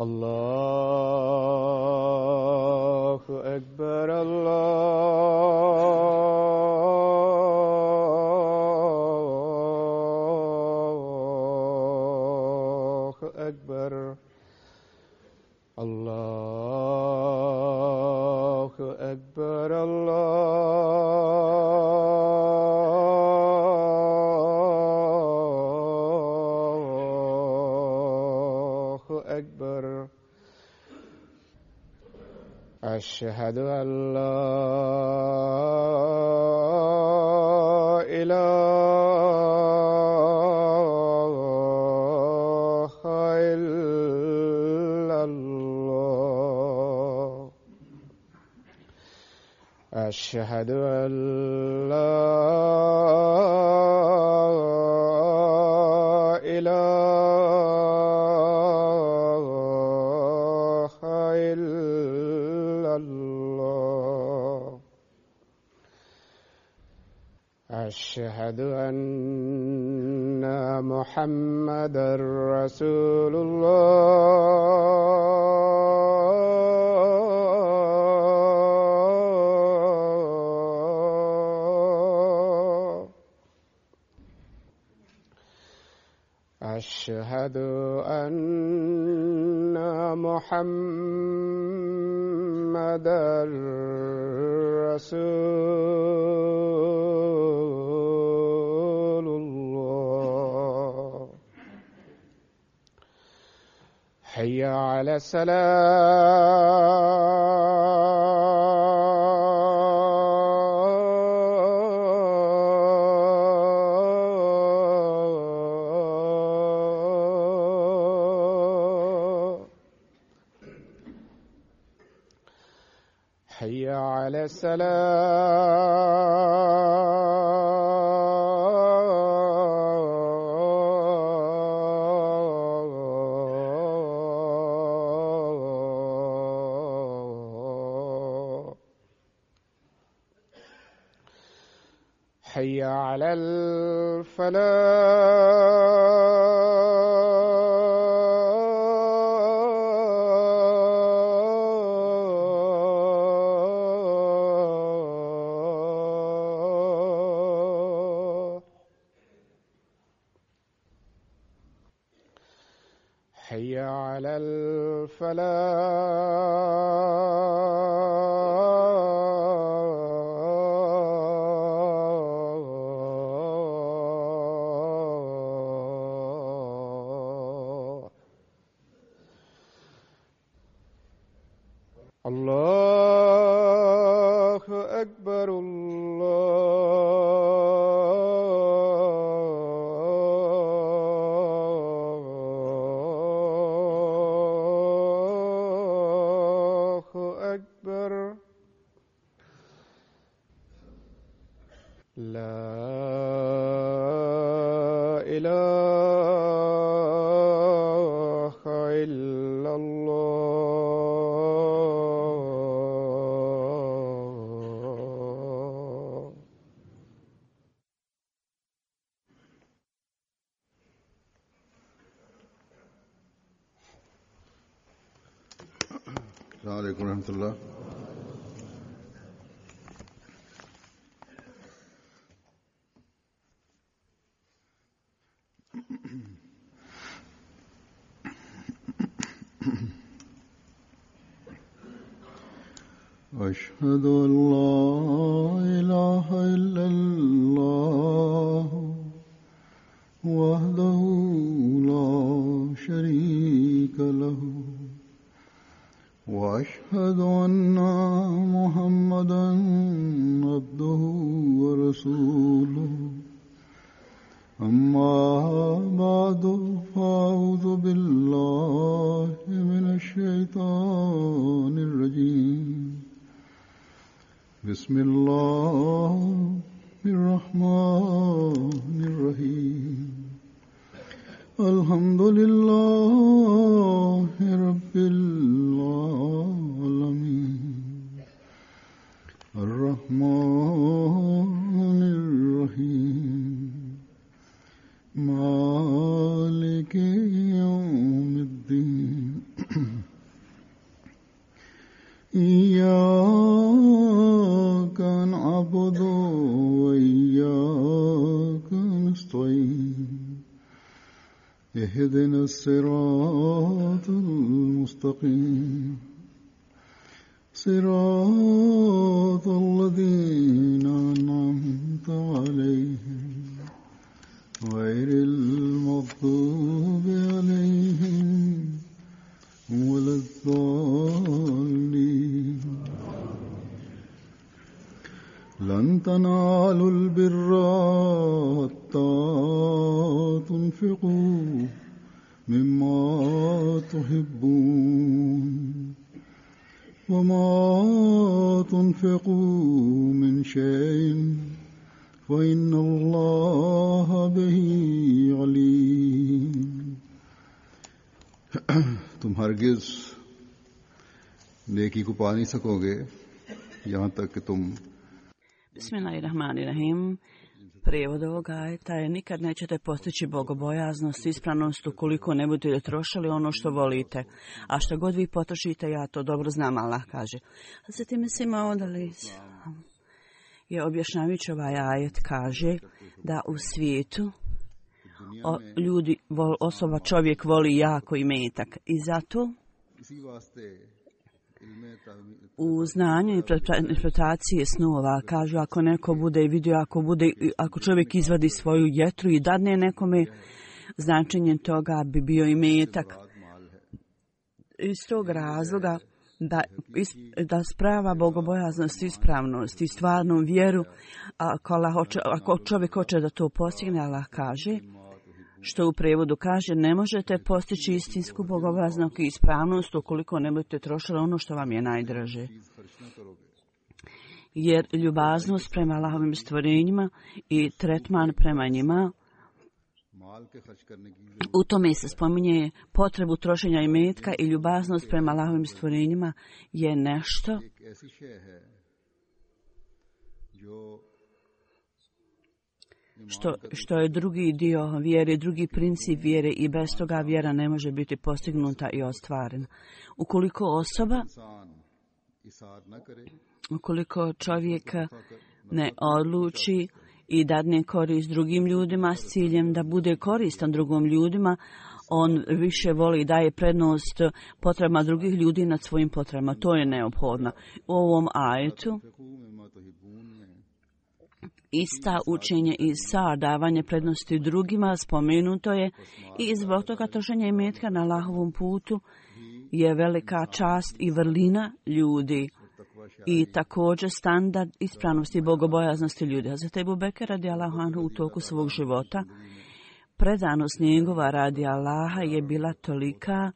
الله أكبر الله أكبر الله أكبر الله أكبر أشهد أن لا إله إلا الله أشهد أن لا إله إلا الله أشهد أن محمدًا رسول الله أشهد أن محمدًا رسول الله حي على الصلاة حي على السلام حي على الفلاح حي على الفلاح الله أكبر الله أكبر لا إله إلا الله السلام عليكم ورحمة الله. أشهد أن لا إله إلا الله وحده لا شريك له وأشهد أن محمدًا عبده ورسوله أما بعد فأعوذ بالله من الشيطان الرجيم بسم الله الرحمن الرحيم الحمد لله رب العالمين الرحمن الرحيم مالك يوم الدين اهدنا الصراط المستقيم صراط الذين أنعمت عليهم غير المغضوب عليهم ولا الضالين لن تنالوا البر حتى تنفقوا مما تحبون وما تنفقوا من شيء فإن الله به عليم तुम हरगिज नेकी को पा नहीं सकोगे यहाँ तक कि तुम Bismillahirrahmanirrahim. Prijevod ovoga ajeta je: nikad nećete postići bogobojaznost, ispravnost ukoliko ne budete trošili ono što volite. A što god vi potrošite, ja to dobro znam, Allah kaže. Zatim Mesih Maud je objašnjavajući ovaj ajet kaže da u svijetu čovjek voli jako imetak i zato u znanju i interpretaciji snova kažu ako neko bude vidio, ako čovjek izvadi svoju jetru i dadne nekome, značenje toga bi bio imetak. Iz tog razloga da sprava bogobojaznost, ispravnost i stvarnu vjeru, ako čovjek hoće da to postigne, Allah kaže, što u prijevodu kaže, ne možete postići istinsku bogobojaznost i ispravnost ukoliko ne budete trošili ono što vam je najdraže. Jer ljubaznost prema Allahovim stvorenjima i tretman prema njima, u tome se spominje potrebu trošenja imetka i ljubaznost prema Allahovim stvorenjima je nešto što je drugi dio vjere, drugi princip vjere i bez toga vjera ne može biti postignuta i ostvarena. Ukoliko čovjek ne odluči i dadne korist drugim ljudima s ciljem da bude koristan drugim ljudima, on više voli i daje prednost potrebama drugih ljudi nad svojim potrebama. To je neophodno. U ovom ajetu ista učenje i davanje prednosti drugima spomenuto je i zbog toga trošenja imetka na Allahovom putu je velika čast i vrlina ljudi i također standard ispravnosti i bogobojaznosti ljudi. Hazreti Ebu Bekr radijallahu anhu u toku svog života predanost njegova radi Allaha je bila tolika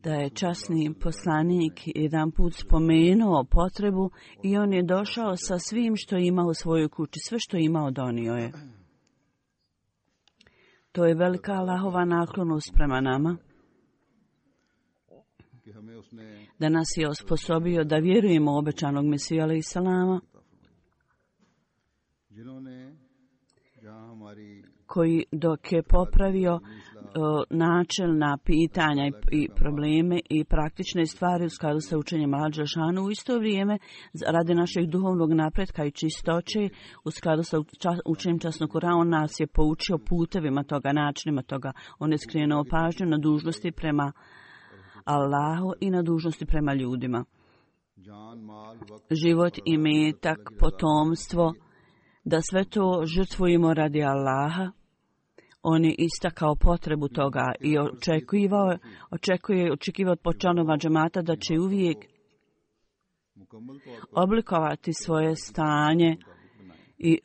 da je časni poslanik jedan put spomenuo potrebu i on je došao sa svim što ima u svojoj kući, sve što imao donio je. To je velika Allahova naklonost prema nama, da nas je osposobio da vjerujemo u obećanog Mesiju alejhi salama, koji dok je popravio načelna pitanja i probleme i praktične stvari u skladu sa učenjem Allaha dželešanu, u isto vrijeme radi našeg duhovnog napretka i čistoće u skladu sa učenjem časnog Kurana, on nas je poučio putevima toga, načinima toga. On je skrenuo pažnju na dužnosti prema Allahu i na dužnosti prema ljudima. Život, imetak, potomstvo, da sve to žrtvujemo radi Allaha. On je istakao potrebu toga i očekivao od članova džemata da će uvijek oblikovati svoje stanje i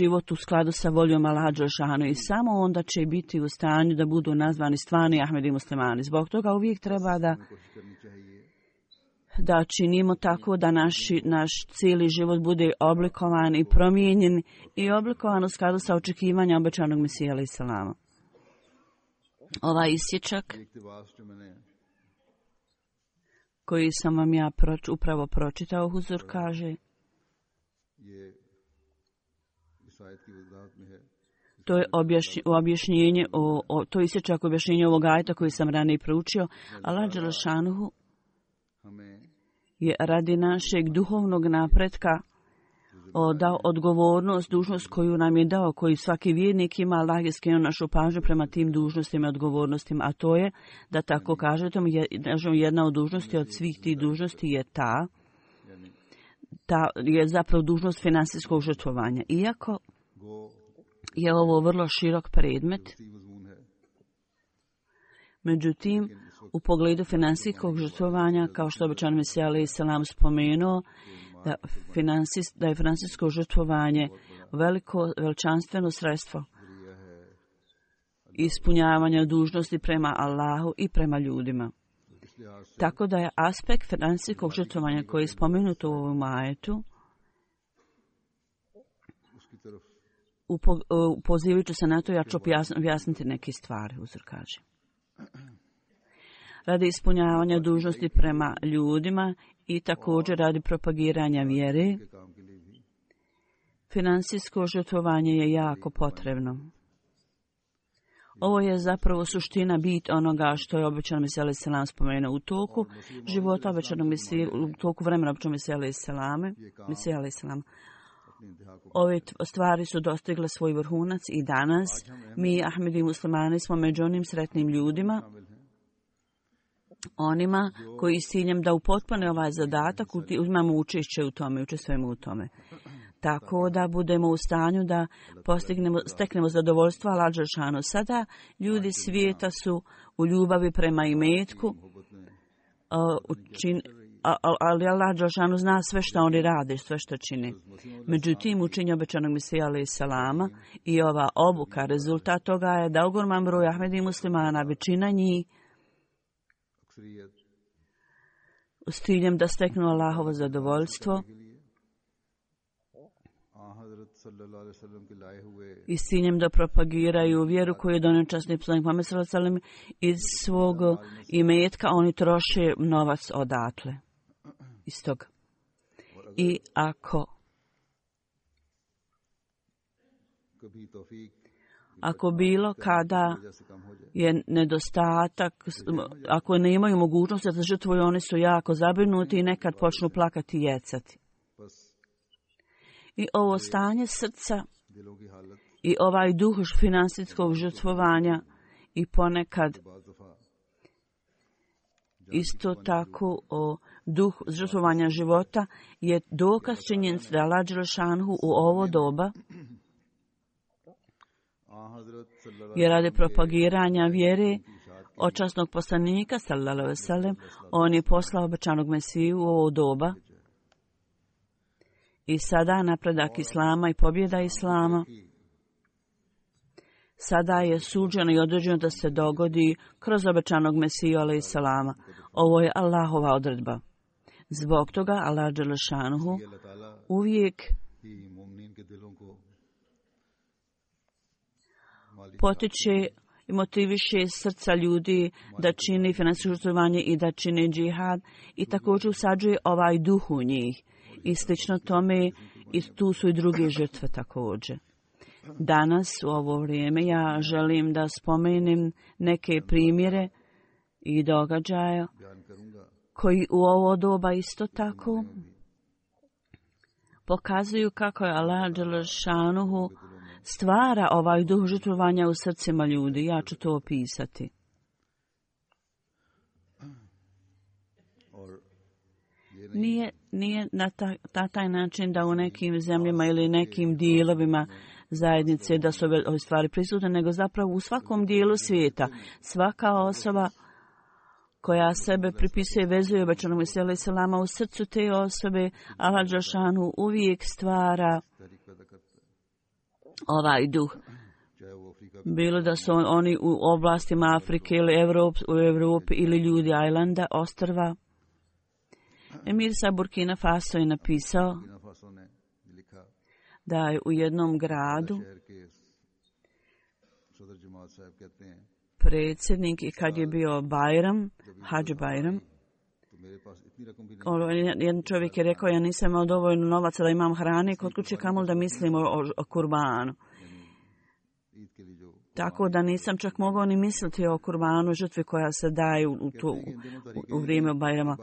život u skladu sa voljom Allaha dželešanu i samo onda će biti u stanju da budu nazvani stvarni Ahmedi muslimani. Zbog toga uvijek treba da činimo tako da naš cijeli život bude oblikovan i promijenjen i oblikovan u skladu sa očekivanja obećanog Mesija alejhi salama. Ovaj isječak koji sam vam ja upravo pročitao, huzur kaže, to je objašnjenje, to je isječak objašnjenja ovog ajeta koji sam ranije proučio. Allah dželešanuhu je radi našeg duhovnog napretka dao odgovornost, dužnost koju nam je dao, koju svaki vjernik ima. Allah je skrenuo našu pažnju prema tim dužnostima i odgovornostima, a to je, da tako kažete, jedna od dužnosti od svih tih dužnosti je ta je zapravo dužnost financijskog žrtvovanja. Iako je ovo vrlo širok predmet, međutim, u pogledu financijskog žrtvovanja, kao što obećan Mesija alejhi selam spomenuo, da je financijsko žrtvovanje veličanstveno sredstvo ispunjavanja dužnosti prema Allahu i prema ljudima. Tako da je aspekt financijskog žrtvovanja koji je spomenut u ovom ajetu, pozivajući se na to, ja ću objasniti neke stvari, uzor kaže. Radi ispunjavanja dužnosti prema ljudima i također radi propagiranja vjere, financijsko žrtvovanje je jako potrebno. Ovo je zapravo suština, bit onoga što je obećan Mesija alejhi selam spomenuo u toku života obećanog Mesije, u toku vremena obećanog Mesija alejhi selam. Ove stvari su dostigle svoj vrhunac i danas mi, Ahmedi muslimani, smo među onim sretnim ljudima, onima koji s ciljem da upotpune ovaj zadatak imamo učešće u tome, učestvujemo u tome. Tako da budemo u stanju da steknemo zadovoljstvo Allah dželešanu. Sada ljudi svijeta su u ljubavi prema imetku, ali Allah dželešanu zna sve što oni rade, sve što čine. Međutim, učenje obećanog Mesija alejhi selama i ova obuka, rezultat toga je da ogroman broj Ahmedi muslimana, većina njih, s ciljem da steknu Allahovo zadovoljstvo i s ciljem da propagiraju vjeru koju je donio časni poslanik Muhammed sallallahu alejhi ve sellem, iz svog imetka oni troše novac odatle. Iz toga. I ako bilo kada je nedostatak, ako ne imaju mogućnosti da žrtvuju, oni su jako zabrinuti i nekad počnu plakati i jecati. I ovo stanje srca i ovaj duh financijskog žrtvovanja i ponekad isto tako duh žrtvovanja života je dokaz činjenice da Allah dželešanu u ovo doba je radi propagiranja vjere od časnog poslanika sallallahu alejhi ve sellem, on je poslao obećanog Mesiju u ovo doba. I sada napredak Islama i pobjeda Islama, sada je suđeno i određeno da se dogodi kroz obećanog Mesiju alejhi selama. Ovo je Allahova odredba. Zbog toga Allah dželešanu uvijek potiče i motiviše srca ljudi da čini financijsko žrtvovanje i da čini džihad i također usađuje ovaj duh u njih. I slično tome, i tu su i druge žrtve također. Danas, u ovo vrijeme, ja želim da spomenem neke primjere i događaja koji u ovo doba isto tako pokazuju kako je Allah dželešanu stvara ovaj duh žrtvovanja u srcima ljudi. Ja ću to opisati. Nije na taj način da u nekim zemljama ili nekim dijelovima zajednice da su ove stvari prisutne, nego zapravo u svakom dijelu svijeta. Svaka osoba koja sebe pripisuje, vezuje obećanog Mesija alejhi selama, u srcu te osobe Allah dželešanu uvijek stvara ovaj duh. Bilo da su oni u oblastima Afrike ili u Evropi ili ljudi Ajlanda, ostrva. Emir sa Burkina Faso je napisao da je u jednom gradu predsjednik, i kad je bio Bajram, Hadž Bajram, jedan čovjek je rekao, ja nisam imao dovoljno novaca da imam hrane kod kuće, kamoli da mislim o kurbanu. Tako da nisam čak mogao ni misliti o kurbanu, žrtvi koja se daje u vrijeme Bajrama.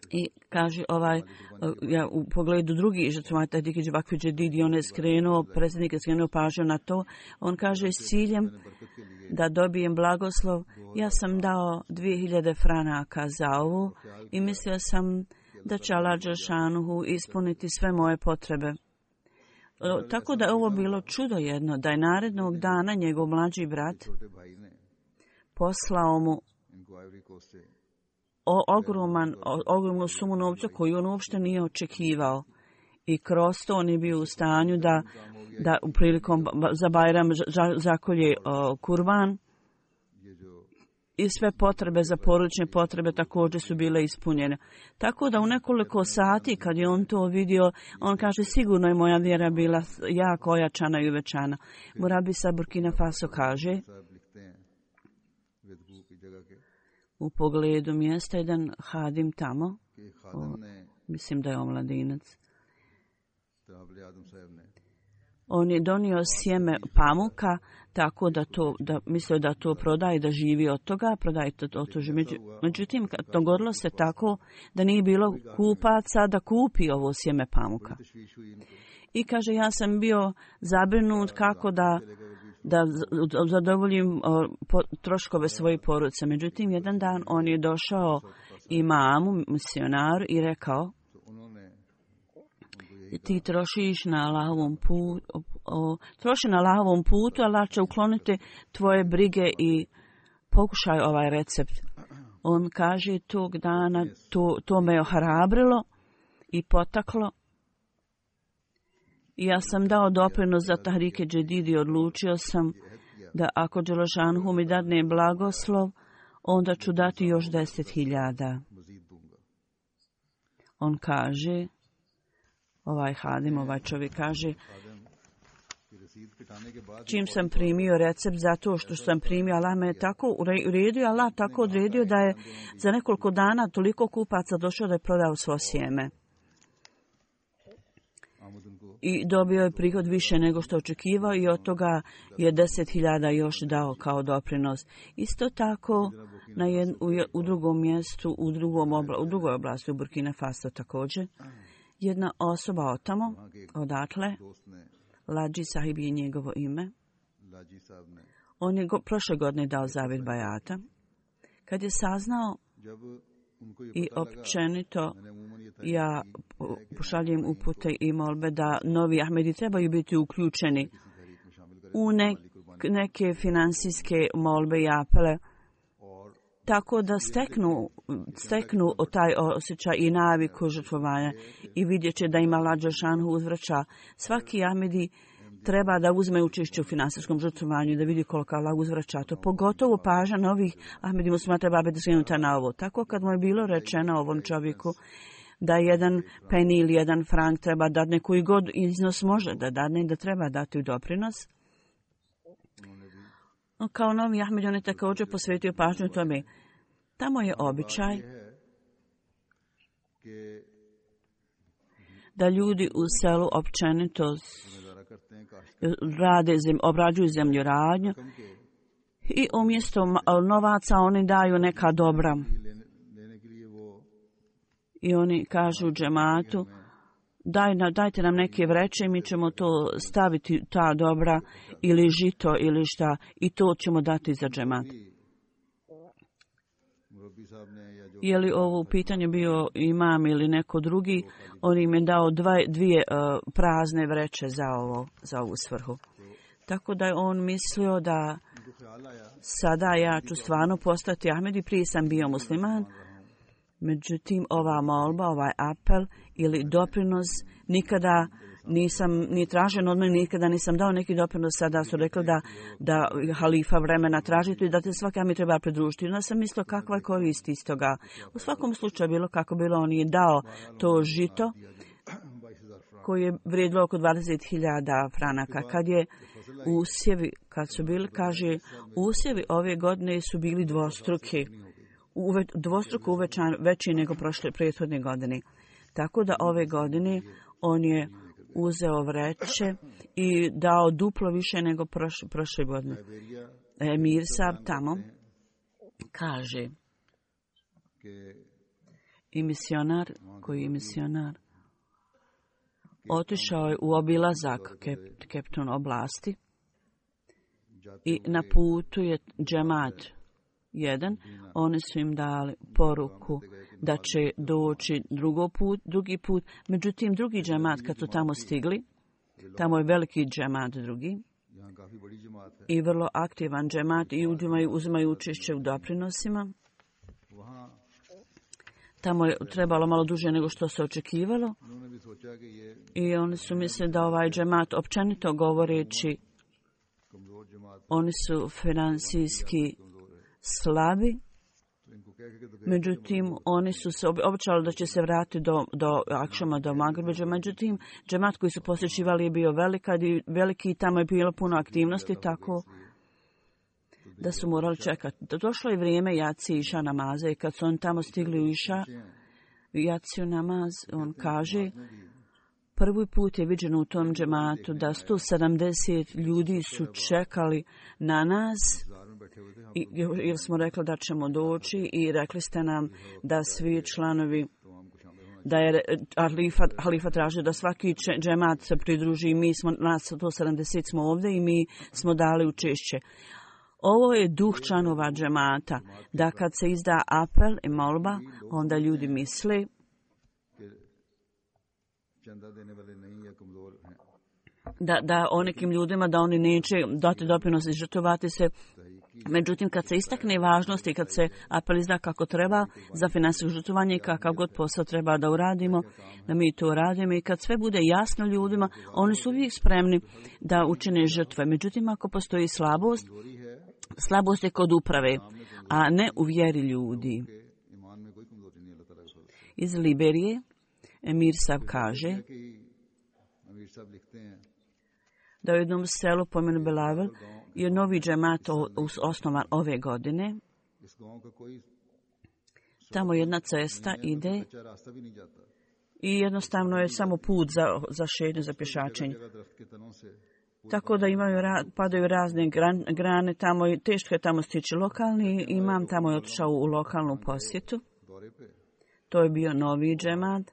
I kaže ja u pogledu drugih žrtva, Tahdiki Vakfi Džedidi, on je skrenuo, predsjednik je skrenuo pažnju na to. On kaže s ciljem da dobijem blagoslov, ja sam dao 2000 franaka za ovo i mislio sam da će Allah Đelšanuhu ispuniti sve moje potrebe. Tako da je ovo bilo čudo jedno, da je narednog dana njegov mlađi brat poslao mu ogromnu sumu novca koju on uopšte nije očekivao. I kroz to on je bio u stanju da prilikom za Bajram zakolje kurban. I sve potrebe za porodične potrebe također su bile ispunjene. Tako da u nekoliko sati kad je on to vidio, on kaže sigurno je moja vjera bila jako ojačana i uvećana. Murabi sa Burkina Faso kaže u pogledu mjesta jedan hadim tamo, mislim da je omladinac, on je donio sjeme pamuka tako da mislio da to prodaje, da živi od toga, prodaje to. Međutim, dogodilo se tako da nije bilo kupaca da kupi ovo sjeme pamuka. I kaže, ja sam bio zabrinut kako da zadovoljim troškove svoje porodice. Međutim, jedan dan on je došao imamu, misionaru i rekao, ti trošiš na Allahovom putu, Allah će ukloniti tvoje brige i pokušaj ovaj recept. On kaže tog dana, to me ohrabrilo i potaklo. I ja sam dao doprinos za Tahrike Džedidi, odlučio sam da ako Đelešanhu mi dadne blagoslov, onda ću dati još 10.000. On kaže, ovaj hadim, ovaj čovjek kaže, čim sam primio recept, zato što sam primio, Allah me je tako uredio, Allah tako odredio da je za nekoliko dana toliko kupaca došao da je prodao svo sjeme. I dobio je prihod više nego što očekivao i od toga je 10.000 još dao kao doprinos. Isto tako u drugom mjestu, u drugoj oblasti u Burkina Faso također, jedna osoba otamo, odatle, Lađi Sahib je njegovo ime. On je prošle godine dao zavjet bajata. Kad je saznao i općenito ja pošaljem upute i molbe da novi Ahmedi trebaju biti uključeni u neke financijske molbe i apele, tako da steknu taj osjećaj i naviku žrtvovanja i vidjet će da ima Allah Đelšanhu uzvraća. Svaki Ahmedi treba da uzme učešće u finansijskom žrtvovanju i da vidi koliko Allah uzvraća to. Pogotovo pažnja novih Ahmedi muslima treba biti skrenuta na ovo. Tako kad mu je bilo rečeno ovom čovjeku da jedan peni ili jedan frank treba dadne, koji god iznos može da dadne i da treba dati u doprinos, kao novi Ahmed, on je također posvetio pažnju tome. Tamo je običaj da ljudi u selu općenito obrađuju zemljoradnju i umjesto novaca oni daju neka dobra. I oni kažu džematu, dajte nam neke vreće i mi ćemo to staviti, ta dobra ili žito ili šta, i to ćemo dati za džemat. Je li ovo pitanje bio imam ili neko drugi, on im je dao dvije prazne vreće za ovu svrhu. Tako da je on mislio da sada ja ću stvarno postati Ahmed i prije sam bio musliman. Međutim, ova molba, ovaj apel ili doprinos nikada nisam ni tražen od mene, nikada nisam dao neki doprinos. Sada su rekli da halifa vremena tražiti i da te svaka mi treba pridružiti. Onda sam mislio kakva je korist iz toga. U svakom slučaju bilo kako bilo, on je dao to žito koji je vrijedilo oko 20.000 franaka. Kad su bili, kaže, usjevi ove godine su bili dvostruko veći nego prethodne godine. Tako da ove godine on je uzeo vreće i dao duplo više nego prošle godine. Emir Sab tamo kaže, i misionar, koji je misionar, otišao je u obilazak Kepton oblasti i na putu je džemat jedan. Oni su im dali poruku da će doći drugi put. Međutim, drugi džemat kad su tamo stigli, tamo je veliki džemat drugi i vrlo aktivan džemat i uzimaju učešće u doprinosima. Tamo je trebalo malo duže nego što se očekivalo i oni su mislili da ovaj džemat, općenito govoreći, oni su financijski slabi. Međutim, oni su se obećali da će se vratiti do akšama, do Magrebeđa. Međutim, džemat koji su posjećivali je bio veliki i tamo je bilo puno aktivnosti, tako da su morali čekati. Došlo je vrijeme Jaci iša namaza i kad su oni tamo stigli u iša, Jaciju namaz, on kaže, prvi put je viđeno u tom džematu da 170 ljudi su čekali na nas, jer smo rekli da ćemo doći i rekli ste nam da svi članovi, da je halifa tražio da svaki džemat se pridruži i mi smo, nas 170 smo ovdje i mi smo dali učešće. Ovo je duh članova džemata, da kad se izda apel i molba, onda ljudi misle da o nekim ljudima da oni neće dati doprinos i žrtvovati se. Međutim, kad se istakne važnost i kad se apel izda kako treba za financijsko žrtvovanje i kakav god posao treba da uradimo, da mi to radimo i kad sve bude jasno ljudima, oni su uvijek spremni da učine žrtve. Međutim, ako postoji slabost je kod uprave, a ne u vjeri ljudi. Iz Liberije Emir Sab kaže da u jednom selu po imenu Belavel je novi džemat osnovan ove godine. Tamo jedna cesta ide i jednostavno je samo put za šetnju, za pješačenje. Tako da padaju razne grane tamo i teško je tamo stići. Lokalni imam tamo je otišao u lokalnu posjetu. To je bio novi džemat.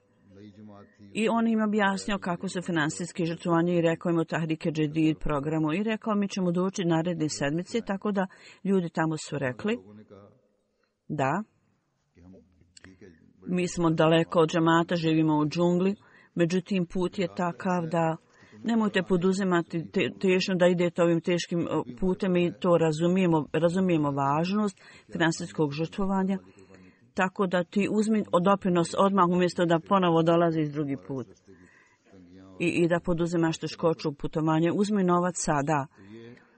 I on im objasnio kako se financijski žrtvovanje i rekao im o Tahrike Džedid programu i rekao mi ćemo doći naredne sedmice, tako da ljudi tamo su rekli da mi smo daleko od džemata, živimo u džungli, međutim put je takav da nemojte poduzimati tešno da idete ovim teškim putem i to razumijemo važnost financijskog žrtvovanja. Tako da ti uzmi doprinos odmah umjesto da ponovo dolaziš drugi put. I da poduzimaš teškoću putovanja. Uzmi novac sada.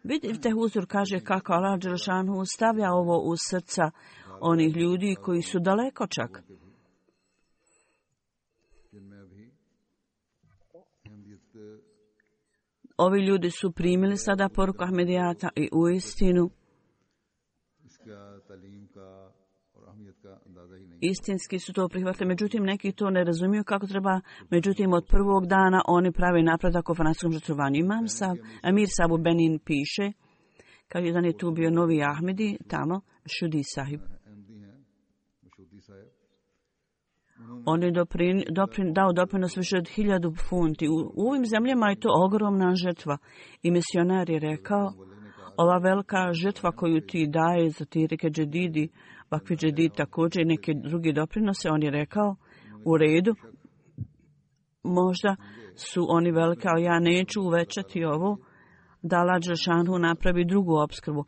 Vidite, Huzur kaže kako Allah Đelešanu stavlja ovo u srca onih ljudi koji su daleko čak. Ovi ljudi su primili sada poruku Ahmedijata i uistinu istinski su to prihvatili, međutim neki to ne razumiju kako treba, međutim od prvog dana oni pravi napredak o financijskom žrtvovanju. Emir Sabu Benin piše, kao jedan je tu bio novi Ahmedi, tamo, Šudi Sahib. On je dao doprinos više od 1000 funti. U ovim zemljama je to ogromna žrtva. I misionar je rekao, ova velika žrtva koju ti daje za Tahrike Džedidi, Vakfi Džedid također i neke drugi doprinose, on je rekao, u redu, možda su oni velike, ali ja neću uvećati ovo, da Allah Đelešanu napravi drugu opskrbu.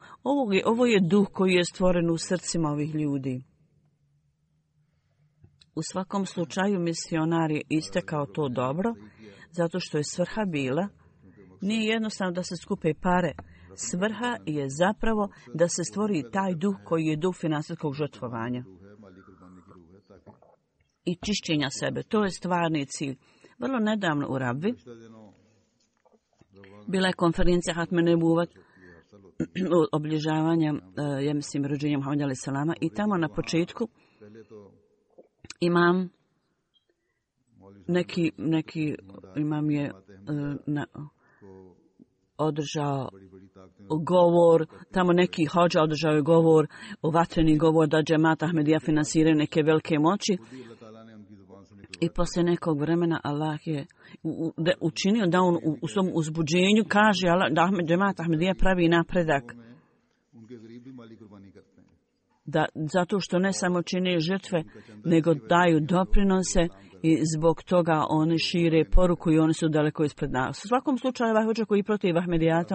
Ovo je duh koji je stvoren u srcima ovih ljudi. U svakom slučaju misionar je istekao to dobro, zato što je svrha bila, nije jednostavno da se skupe pare. Svrha je zapravo da se stvori taj duh koji je duh financijskog žrtvovanja i čišćenja sebe. To je stvarni cilj. Vrlo nedavno u Rabvi bila je konferencija Hatme Nebuvat obilježavanja, ja mislim, rođenja Muhammeda alejhi selama i tamo na početku imam neki imam je održao govor, tamo neki hodža održao je govor, vatreni govor da džemat Ahmedija finansiraju neke velike moći. I poslije nekog vremena Allah je učinio da on u svom uzbuđenju kaže da džemat Ahmedija pravi napredak. Da, zato što ne samo čine žrtve, nego daju doprinose i zbog toga oni šire poruku i oni su daleko ispred nas. U svakom slučaju, ovaj hođa koji protiv Ahmedijata,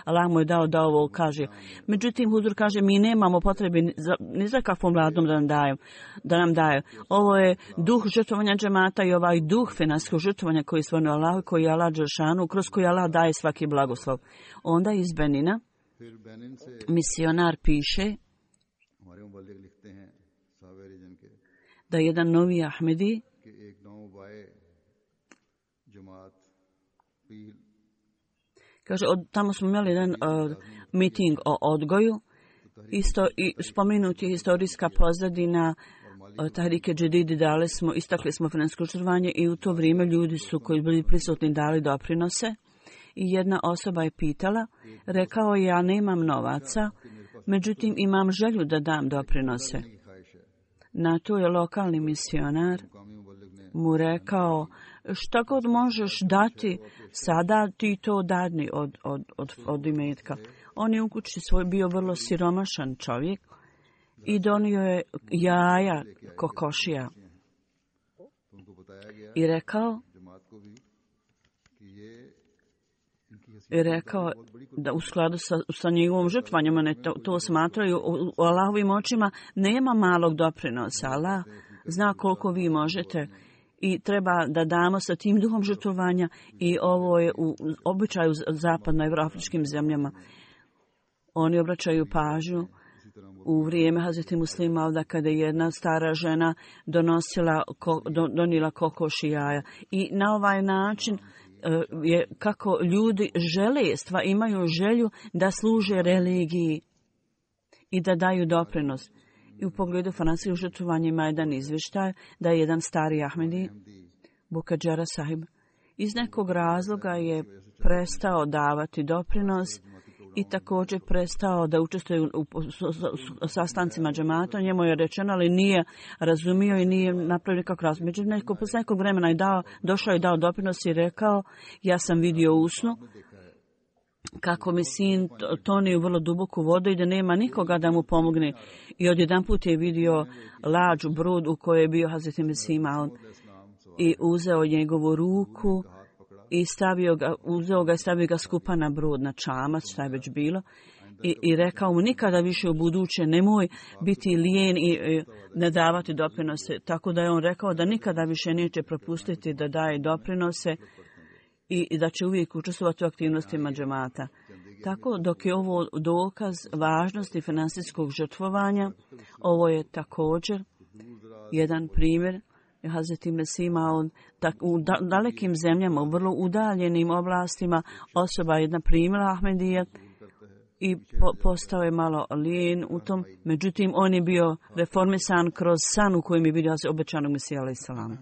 Allah mu je dao da ovo kaže. Međutim, Huzur kaže, mi nemamo potrebe ni za kakvom vladom da nam daju. Ovo je duh žrtvovanja džemata i ovaj duh finanskog žrtvovanja koji je stvoreno Allah, koji je Allah Đelšanu, kroz koji Allah daje svaki blagoslov. Onda iz Benina misionar piše da jedan novi Ahmedi kaže, tamo smo imali jedan miting o odgoju, isto i spomenuti je historijska pozadina Tahrike Džedidi, istakli smo financijsko žrtvovanje i u to vrijeme ljudi su koji bili prisutni dali doprinose i jedna osoba je pitala, rekao je, ja nemam novaca, međutim imam želju da dam doprinose. Na to je lokalni misionar mu rekao, šta god možeš dati, sada ti to dadni od imetka. On je u kući bio vrlo siromašan čovjek i donio je jaja kokošija. I rekao da u skladu sa njegovom žrtvanjem, one to smatraju, u Allahovim očima nema malog doprinosa. Allah zna koliko vi možete i treba da damo sa tim duhom žrtvovanja i ovo je u običaju zapadnoevroafričkim zemljama. Oni obraćaju pažnju u vrijeme Hazreti Muslima Mauda kada je jedna stara žena donijela kokoš i jaja. I na ovaj način je kako ljudi imaju želju da služe religiji i da daju doprinos. I u pogledu financijskog žrtvovanja ima jedan izvještaj da je jedan stari Ahmedi, Bukadžara sahib, iz nekog razloga je prestao davati doprinos i također prestao da učestvuje u sastancima džemata. Njemu je rečeno, ali nije razumio i nije napravio nikakav razlog. Međutim, posle nekog vremena je došao i dao doprinos i rekao, ja sam vidio u snu kako mi sin toni u vrlo duboku vodu i da nema nikoga da mu pomogne. I odjedanput je vidio lađu brod u kojoj je bio Hazreti Mesih Maud i uzeo njegovu ruku i stavio ga skupa na brod, na čamac, šta je već bilo. I rekao mu, nikada više u buduće nemoj biti lijen i ne davati doprinose. Tako da je on rekao da nikada više neće propustiti da daje doprinose i da će uvijek učestvovati u aktivnostima džemata. Tako, dok je ovo dokaz važnosti financijskog žrtvovanja, ovo je također jedan primjer Hazreti Mesih Maud, u dalekim zemljama, u vrlo udaljenim oblastima, osoba jedna primila Ahmedija i postao je malo lijen u tom. Međutim, on je bio reformisan kroz san u kojem je vidio obećanog Mesija alaih salam.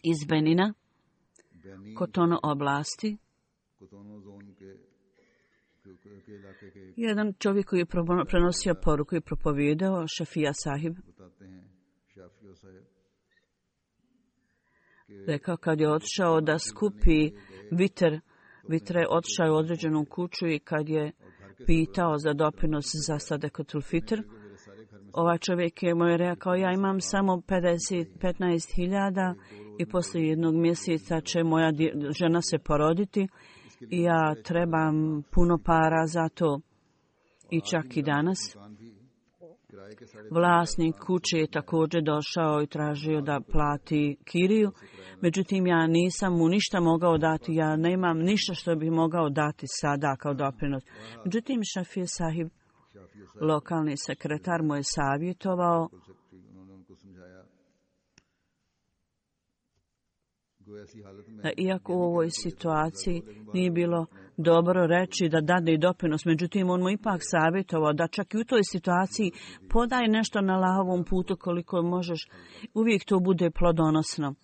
Iz Benina, Kotono oblasti, jedan čovjek koji je prenosio poruku i propovijedao, Šafija sahib, rekao kad je otišao da skupi Vitra je otišao u određenu kuću i kad je pitao za doprinos za Sadekatul Fitr, ovaj čovjek je mu rekao, ja imam samo 15.000 i poslije jednog mjeseca će moja žena se poroditi i ja trebam puno para za to. I čak i danas vlasnik kuće je također došao i tražio da plati kiriju. Međutim, ja nisam mu ništa mogao dati, ja nemam ništa što bi mogao dati sada kao doprinos. Međutim, Šafija sahib, lokalni sekretar, mu je savjetovao da iako u ovoj situaciji nije bilo dobro reći da dade i doprinos, međutim on mu ipak savjetovao da čak i u toj situaciji podaj nešto na Allahovom putu koliko možeš, uvijek to bude plodonosno.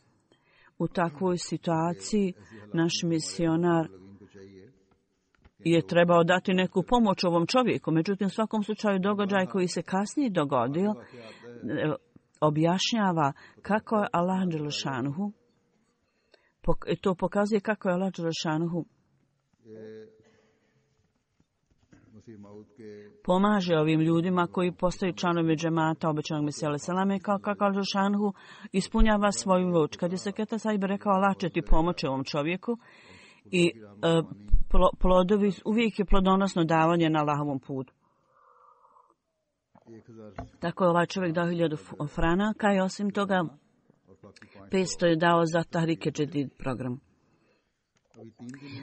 U takvoj situaciji naš misionar je trebao dati neku pomoć ovom čovjeku. Međutim, u svakom slučaju događaj koji se kasnije dogodio objašnjava kako je Allah dželešanuhu, to pokazuje kako je Allah dželešanuhu pomaže ovim ljudima koji postaju članovi džemata obećanog Mesija alejhi selame, kao kako Allah dželešanuhu ispunjava svoju voć. Kad je Seketa Sahib rekao Allah će ti pomoći ovom čovjeku i plodovi, uvijek je plodonosno davanje na Allahovom putu. Tako je ovaj čovjek dao 1000 franaka i osim toga 500 je dao za Tahrike Džedid program.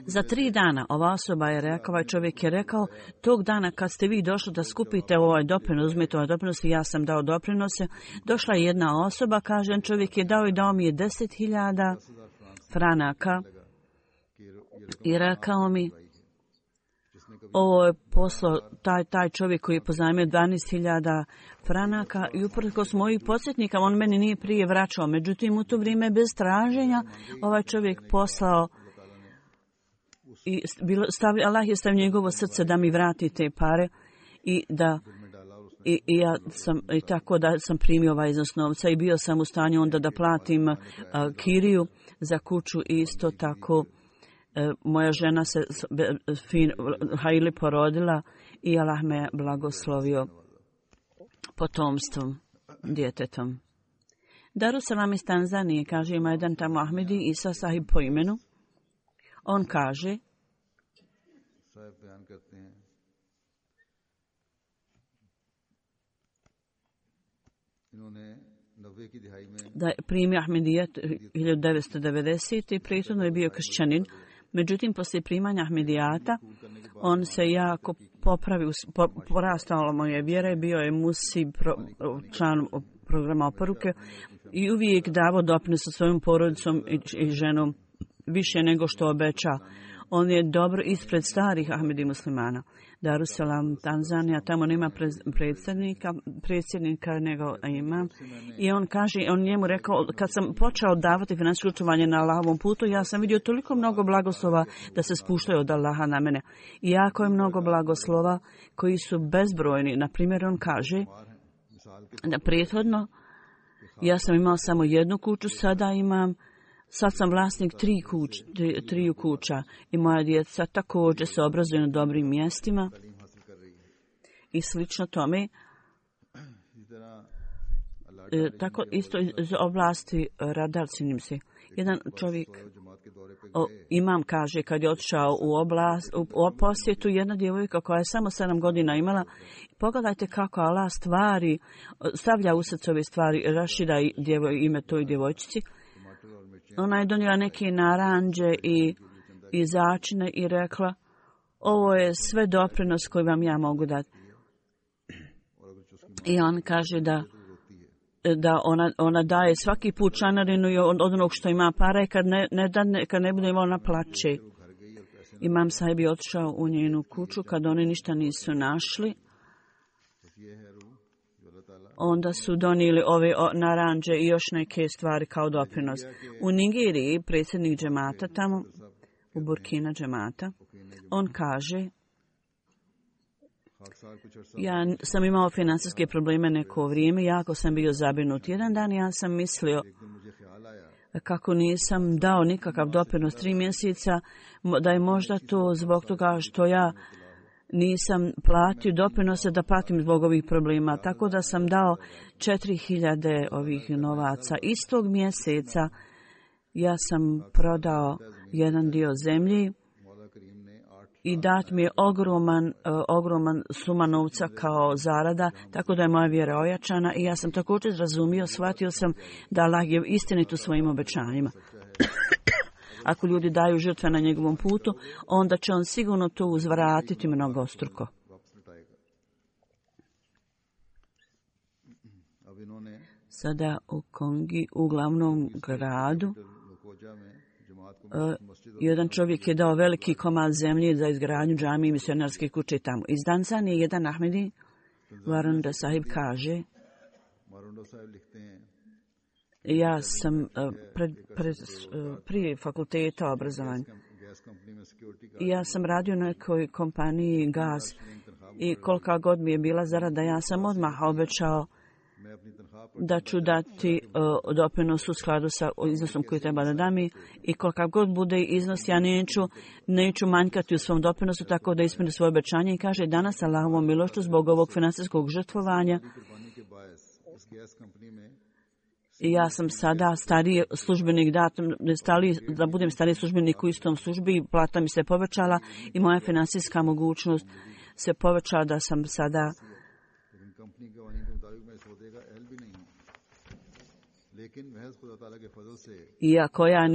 Za 3 dana ova osoba je rekao, ovaj čovjek je rekao, tog dana kad ste vi došli da skupite ovaj doprinos, uzmete ovaj doprinos i ja sam dao doprinose, došla je jedna osoba, kaže, čovjek je dao i dao mi je 10.000 franaka i rekao mi, ovo je poslao taj čovjek koji je pozajmio 12.000 franaka i uprkos mojih podsjetnika, on meni nije prije vraćao. Međutim, u to vrijeme bez traženja ovaj čovjek poslao i Allah je stavio njegovo srce da mi vrati te pare i ja sam i tako da sam primio ovaj iznos novca i bio sam u stanju onda da platim kiriju za kuću i isto tako moja žena se Haili porodila i Allah me blagoslovio potomstvom, djetetom. Darussalam iz Tanzanije, kaže, ima jedan tamo Ahmedi Isa Sahib po imenu. On kaže da je primio Ahmedijet 1990. i prethodno je bio kršćanin. Međutim, poslije primanja Ahmedijata, on se jako popravio, porastala mu je vjera i bio je musi član programa oporuke i uvijek davao doprinos sa svojom porodicom i ženom više nego što obeća. On je dobro ispred starih Ahmedi muslimana. Darussalam, Tanzanija, tamo nema predsjednika nego imam. I on kaže, on njemu rekao, kad sam počeo davati financijsko učestvovanje na Allahovom putu, ja sam vidio toliko mnogo blagoslova da se spuštaju od Allaha na mene. I jako je mnogo blagoslova koji su bezbrojni. Na primjer, on kaže da prethodno ja sam imao samo jednu kuću, sad sam vlasnik 3 kuća i moja djeca također se obrazuju na dobrim mjestima i slično tome. Tako isto iz oblasti radar, činim se. Jedan čovjek, imam kaže, kad je otišao u posjetu, jedna djevojka koja je samo 7 godina imala, pogledajte kako Allah stavlja u srce ove stvari, rašida ime toj djevojčici. Ona je donijela neke naranđe i začine i rekla, ovo je sve doprinos koji vam ja mogu dati. I on kaže da ona daje svaki put članarinu od onog što ima para i kad ne bude imala, ona plače. Imam Sahib je otišao u njenu kuću kad oni ništa nisu našli. Onda su donijeli ove naranđe i još neke stvari kao doprinos. U Nigeriji predsjednik džemata tamo, u Burkina džemata, on kaže, ja sam imao financijske probleme neko vrijeme, jako sam bio zabrinut. Jedan dan ja sam mislio kako nisam dao nikakav doprinos 3 mjeseca, da je možda to zbog toga što ja nisam platio doprinose da platim zbog ovih problema. Tako da sam dao 4.000 ovih novaca. Istog mjeseca ja sam prodao jedan dio zemlji i dat mi je ogroman suma novca kao zarada, tako da je moja vjera ojačana i ja sam također razumio, shvatio sam da Allah je istinit u svojim obećanjima. Ako ljudi daju žrtve na njegovom putu, onda će on sigurno to uzvratiti mnogostruko. Sada u Kongi, u glavnom gradu, jedan čovjek je dao veliki komad zemlje za izgradnju džamije i misionarske kuće tamo. Iz Tanzanije jedan Ahmedi, Varunda Sahib, kaže Ja sam prije fakulteta obrazovanja. Ja sam radio u nekoj kompaniji Gaz i kolika god mi je bila zarada, ja sam odmah obećao da ću dati doprinos u skladu sa iznosom koji treba da dam i kolika god bude iznos, ja neću manjkati u svom doprinosu, tako da ispuni svoje obećanje. I kaže, danas Allahovom milošću zbog ovog financijskog žrtvovanja i ja sam sada stariji službenik, da budem stariji službenik u istom službi, plata mi se povećala i moja financijska mogućnost se povećala da sam sada iako ja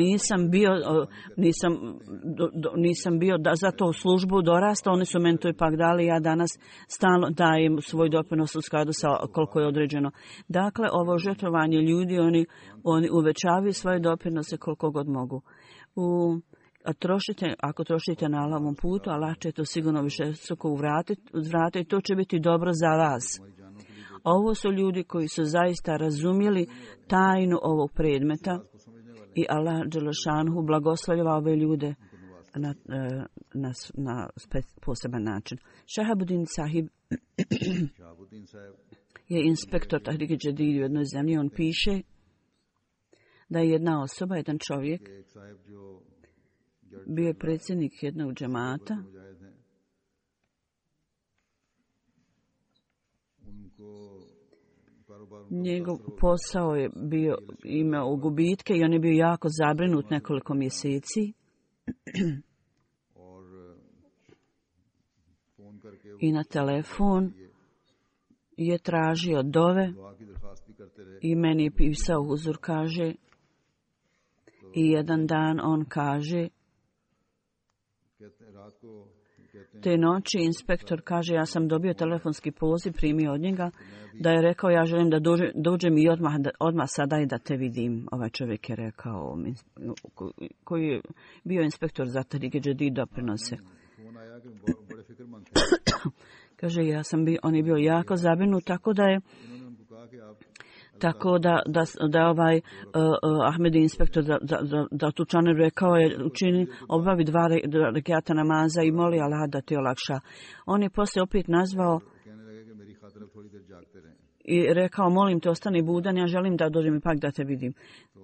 nisam bio da za to službu dorastao, oni su meni to ipak dali, ja danas stalno dajem svoj doprinos u skladu sa koliko je određeno. Dakle, ovo žrtvovanje ljudi, oni uvećavaju svoje doprinose koliko god mogu. Ako trošite na Allahovom putu, Allah će to sigurno više vratiti, to će biti dobro za vas. Ovo su ljudi koji su zaista razumjeli tajnu ovog predmeta i Allah dželešanhu blagoslovljava ove ljude na poseban način. Shahabuddin Sahib je inspektor Tahrike Jadid u jednoj zemlji. On piše da je jedna osoba, jedan čovjek, bio je predsjednik jednog džemata njegov posao je imao gubitke i on je bio jako zabrinut nekoliko mjeseci. I na telefon je tražio dove i meni je pisao huzur, kaže, i jedan dan on kaže, te noći inspektor kaže, ja sam dobio telefonski poziv, primio od njega, da je rekao, ja želim da dođem i odmah sada i da te vidim. Ovaj čovjek je rekao, koji je bio inspektor za Tahrike Jadid doprinose. Kaže, on je bio jako zabrinut, tako da ovaj Ahmedi inspektor da tučaner rekao je obavi 2 rekata namaza i moli Allah da ti olakša. On je poslije opet nazvao i rekao, molim te, ostani budan, ja želim da dođem ipak da te vidim.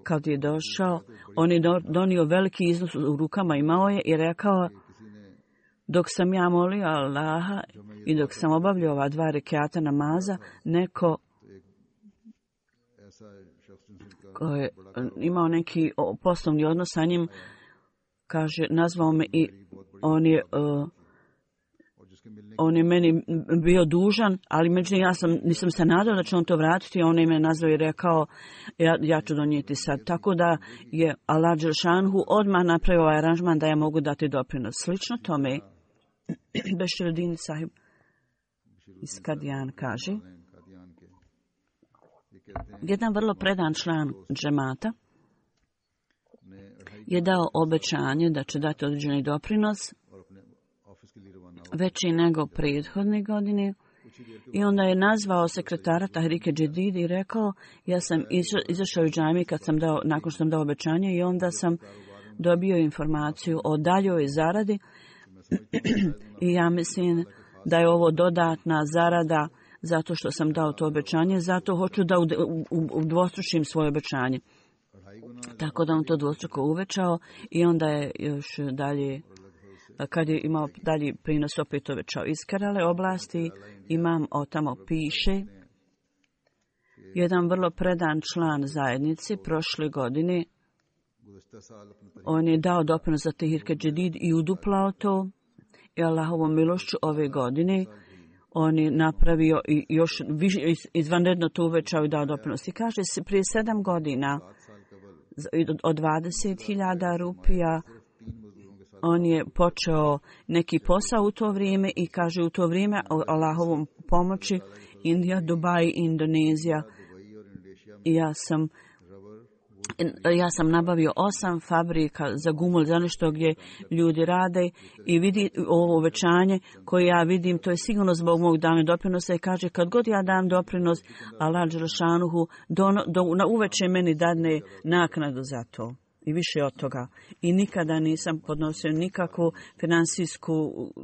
Kad je došao, on je donio veliki iznos u rukama, imao je i rekao, dok sam ja molio Allaha i dok sam obavljao ova 2 rekata namaza, neko koji je imao neki poslovni odnos sa njim, kaže, nazvao me i on je meni bio dužan, ali međutim nisam se nadao da će on to vratiti, on je me nazvao i rekao, ja ću donijeti sad. Tako da je Allah dželšanhu odmah napravio ovaj aranžman da ja mogu dati doprinos. Slično tome, Beširudin Sahib iz Kadijan kaže, jedan vrlo predan član džemata je dao obećanje da će dati određeni doprinos veći nego prethodne godine i onda je nazvao sekretara Tahrike Jadid i rekao, ja sam izašao u džamiju nakon što sam dao obećanje i onda sam dobio informaciju o daljoj zaradi i ja mislim da je ovo dodatna zarada zato što sam dao to obećanje, zato hoću da udvostručim svoje obećanje. Tako da on to dvostruko uvećao i onda je još dalje, kad je imao dalji prinos, opet uvećao. Iz Kerale oblasti imam tamo piše, jedan vrlo predan član zajednice prošle godine, on je dao doprinos za Tahrike Jadid i uduplao to i Allahovom milošću ove godine on je napravio i još više, izvanredno to uvećao i dao doprinos. I kaže se, prije 7 godina od 20.000 rupija on je počeo neki posao u to vrijeme i kaže u to vrijeme o Allahovom pomoći Indija, Dubaj, Indonezija. I ja sam Ja sam nabavio 8 fabrika za gumul, za nešto gdje ljudi rade i vidi ovo uvećanje koje ja vidim, to je sigurno zbog mog dane doprinosa i kaže kad god ja dam doprinos, Allah dželešanuhu na uveče meni dadne naknadu za to. I više od toga. I nikada nisam podnosio nikakvu finansijsku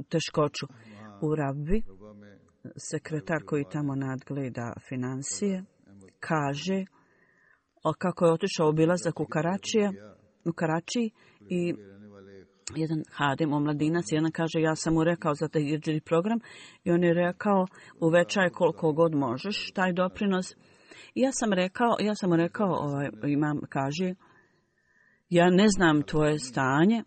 teškoću. U Rabbi, sekretar koji tamo nadgleda financije, kaže kako je otišao obilazak u Karačiji i jedan hadim, omladinac, jedan kaže ja sam mu rekao za taj hidžri program i on je rekao uvećaj koliko god možeš taj doprinos. I ja sam mu rekao imam kaže ja ne znam tvoje stanje.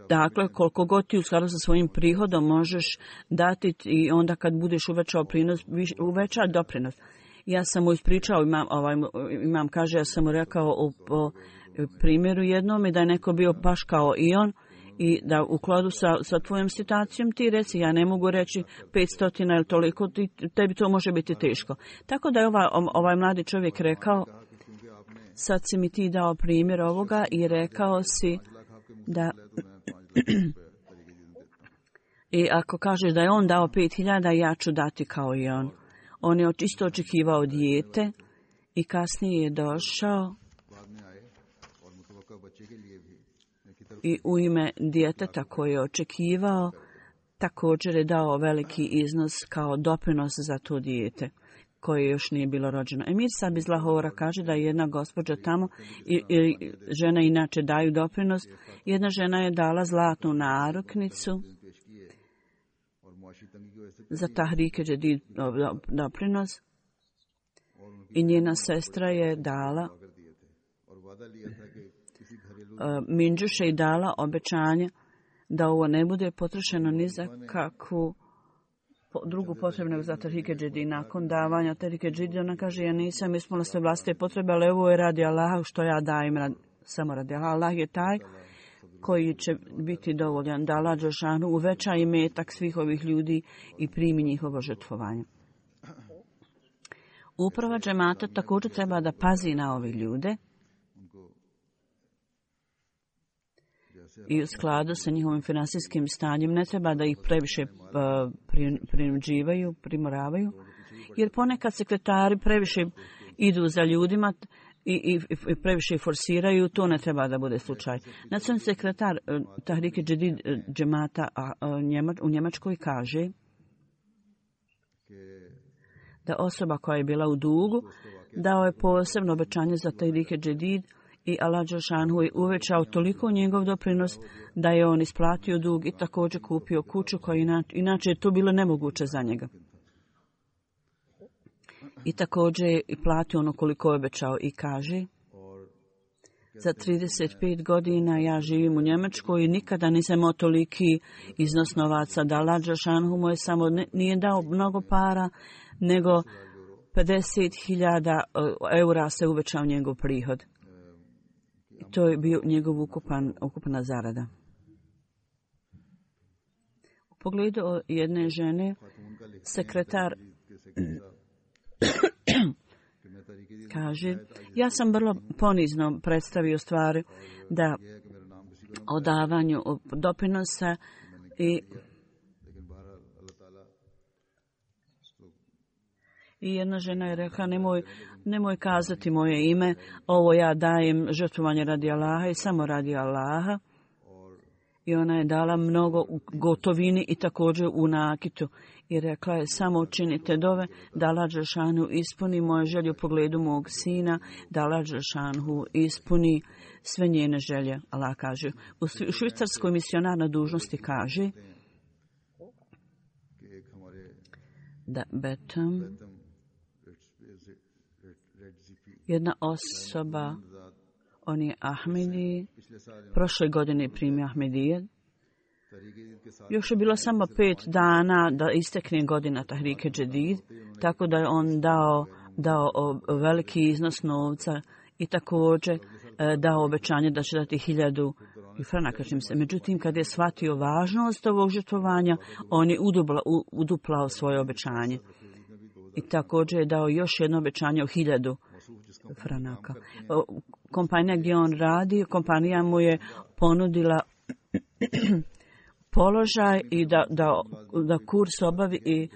Dakle, koliko god ti u skladu sa svojim prihodom možeš dati i onda kad budeš uvećao prinos, uveća doprinos. Ja sam mu ispričao, imam kaže, ja sam mu rekao o primjeru jednom i da je neko bio baš kao i on i da u kladu sa tvojom situacijom ti reci, ja ne mogu reći 500 ili toliko, tebi to može biti teško. Tako da je ovaj mladi čovjek rekao, sad si mi ti dao primjer ovoga i rekao si da i ako kažeš da je on dao 5.000, ja ću dati kao i on. On je isto očekivao dijete i kasnije je došao i u ime djeteta koje je očekivao također je dao veliki iznos kao doprinos za to dijete koje još nije bilo rođeno. Emir Sab iz Lahora kaže da je jedna gospođa tamo i žene inače daju doprinos. Jedna žena je dala zlatnu naruknicu za Tahrike Džedid doprinos i njena sestra je dala minđuše i dala obećanje da ovo ne bude potrošeno ni za kakvu drugu potrebnu za Tahrike Džedid. Nakon davanja Tahrike Džedid ona kaže ja nisam ispunila sve vlastite potrebe, ali ovo je radi Allaha što ja dajem samo radi Allaha. Allah je taj koji će biti dovoljan da Allah dželešanu uveća imetak svih ovih ljudi i primi njihovo žrtvovanje. Uprava džemata također treba da pazi na ove ljude i u skladu sa njihovim finansijskim stanjem ne treba da ih previše prinuđivaju, primoravaju, jer ponekad sekretari previše idu za ljudima i previše forsiraju, to ne treba da bude slučaj. Nacionalni sekretar Tahrike Džedid džemata u Njemačkoj kaže da osoba koja je bila u dugu dao je posebno obećanje za Tahrike Džedid i Allah dželešanu je uvećao toliko njegov doprinos da je on isplatio dug i također kupio kuću koja inače je to bilo nemoguće za njega. I također je platio ono koliko je obećao i kaže za 35 godina ja živim u Njemačkoj i nikada nisam imao toliki iznos novaca da Allah dželešanu mu je samo nije dao mnogo para nego 50.000 eura se uvećao njegov prihod. I to je bio njegov ukupna zarada. U pogledu jedne žene, sekretar kaže, ja sam vrlo ponizno predstavio stvari da o davanju doprinosa i jedna žena je rekla, nemoj kazati moje ime, ovo ja dajem žrtvovanje radi Allaha i samo radi Allaha. I ona je dala mnogo u gotovini i također u nakitu. I rekla je, samo učinite dove da Allah dželešanu ispuni moje želje u pogledu mog sina, da Allah dželešanu ispuni sve njene želje. Allah kaže. U švicarskoj misionar na dužnosti kaže da Betam jedna osoba, on je Ahmedi, prošle godine primio Ahmedije. Još je bilo samo 5 dana da istekne godina Tahrike Džedid, tako da je on dao veliki iznos novca i također dao obećanje da će dati 1000 franaka. Međutim, kad je shvatio važnost ovog žrtvovanja, on je uduplao svoje obećanje. i također je dao još jedno obećanje o 1000 franaka. Kompanija gdje on radi, kompanija mu je ponudila položaj i da kurs obavi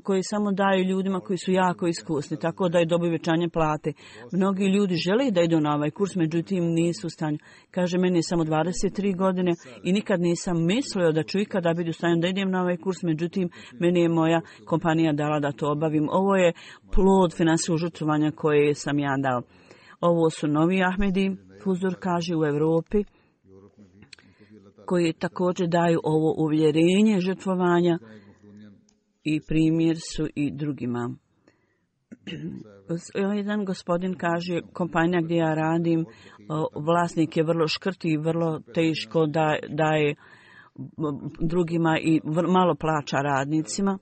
koji samo daju ljudima koji su jako iskusni, tako da je dobio uvećanje plate. Mnogi ljudi žele da idu na ovaj kurs, međutim nisu u stanju. Kaže, meni je samo 23 godine i nikad nisam mislio da ću ikada biti u stanju da idem na ovaj kurs, međutim meni je moja kompanija dala da to obavim. Ovo je plod finansijskog žrtvovanja koje sam ja dao. Ovo su novi Ahmedi, Fuzur kaže, u Europi, koji također daju ovo uvjerenje žrtvovanja i primjer su i drugima. Jedan gospodin kaže, kompanija gdje ja radim, vlasnik je vrlo škrt i vrlo teško daje drugima i malo plaća radnicima.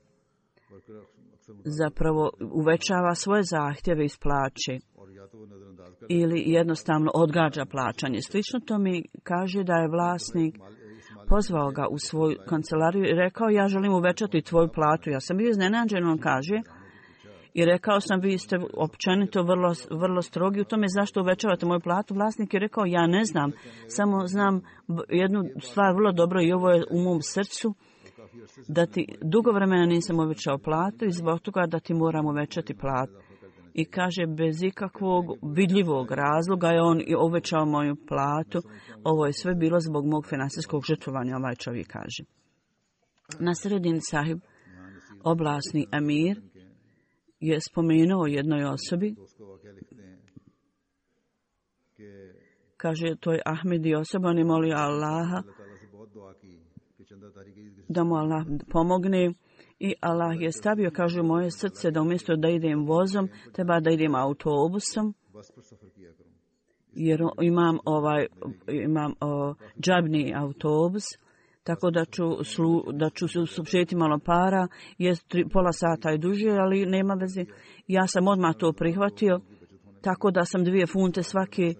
Zapravo uvećava svoje zahtjeve iz plaće ili jednostavno odgađa plaćanje. Slično to mi kaže da je vlasnik pozvao ga u svoju kancelariju i rekao, ja želim uvećati tvoju platu. Ja sam bio iznenađen, on kaže, i rekao sam, vi ste općenito vrlo strogi u tome, zašto uvećavate moju platu. Vlasnik je rekao, ja ne znam, samo znam jednu stvar vrlo dobro i ovo je u mom srcu, da ti dugo vremena nisam uvećao platu i zbog toga da ti moram uvećati platu. I kaže, bez ikakvog vidljivog razloga je on i uvećao moju platu. Ovo je sve bilo zbog mog finansijskog žrtvovanja, ovaj čovjek kaže. Na sredini sahib, oblasni amir, je spomenuo jednoj osobi. Kaže, to je Ahmedi osoba, on je molio Allaha da mu Allah pomogne. I Allah je stavio, kaže, u moje srce da umjesto da idem vozom, treba da idem autobusom, jer imam džabni autobus, tako da ću sušeti malo para, pola sata je duže, ali nema veze. Ja sam odmah to prihvatio, tako da sam 2 funte svake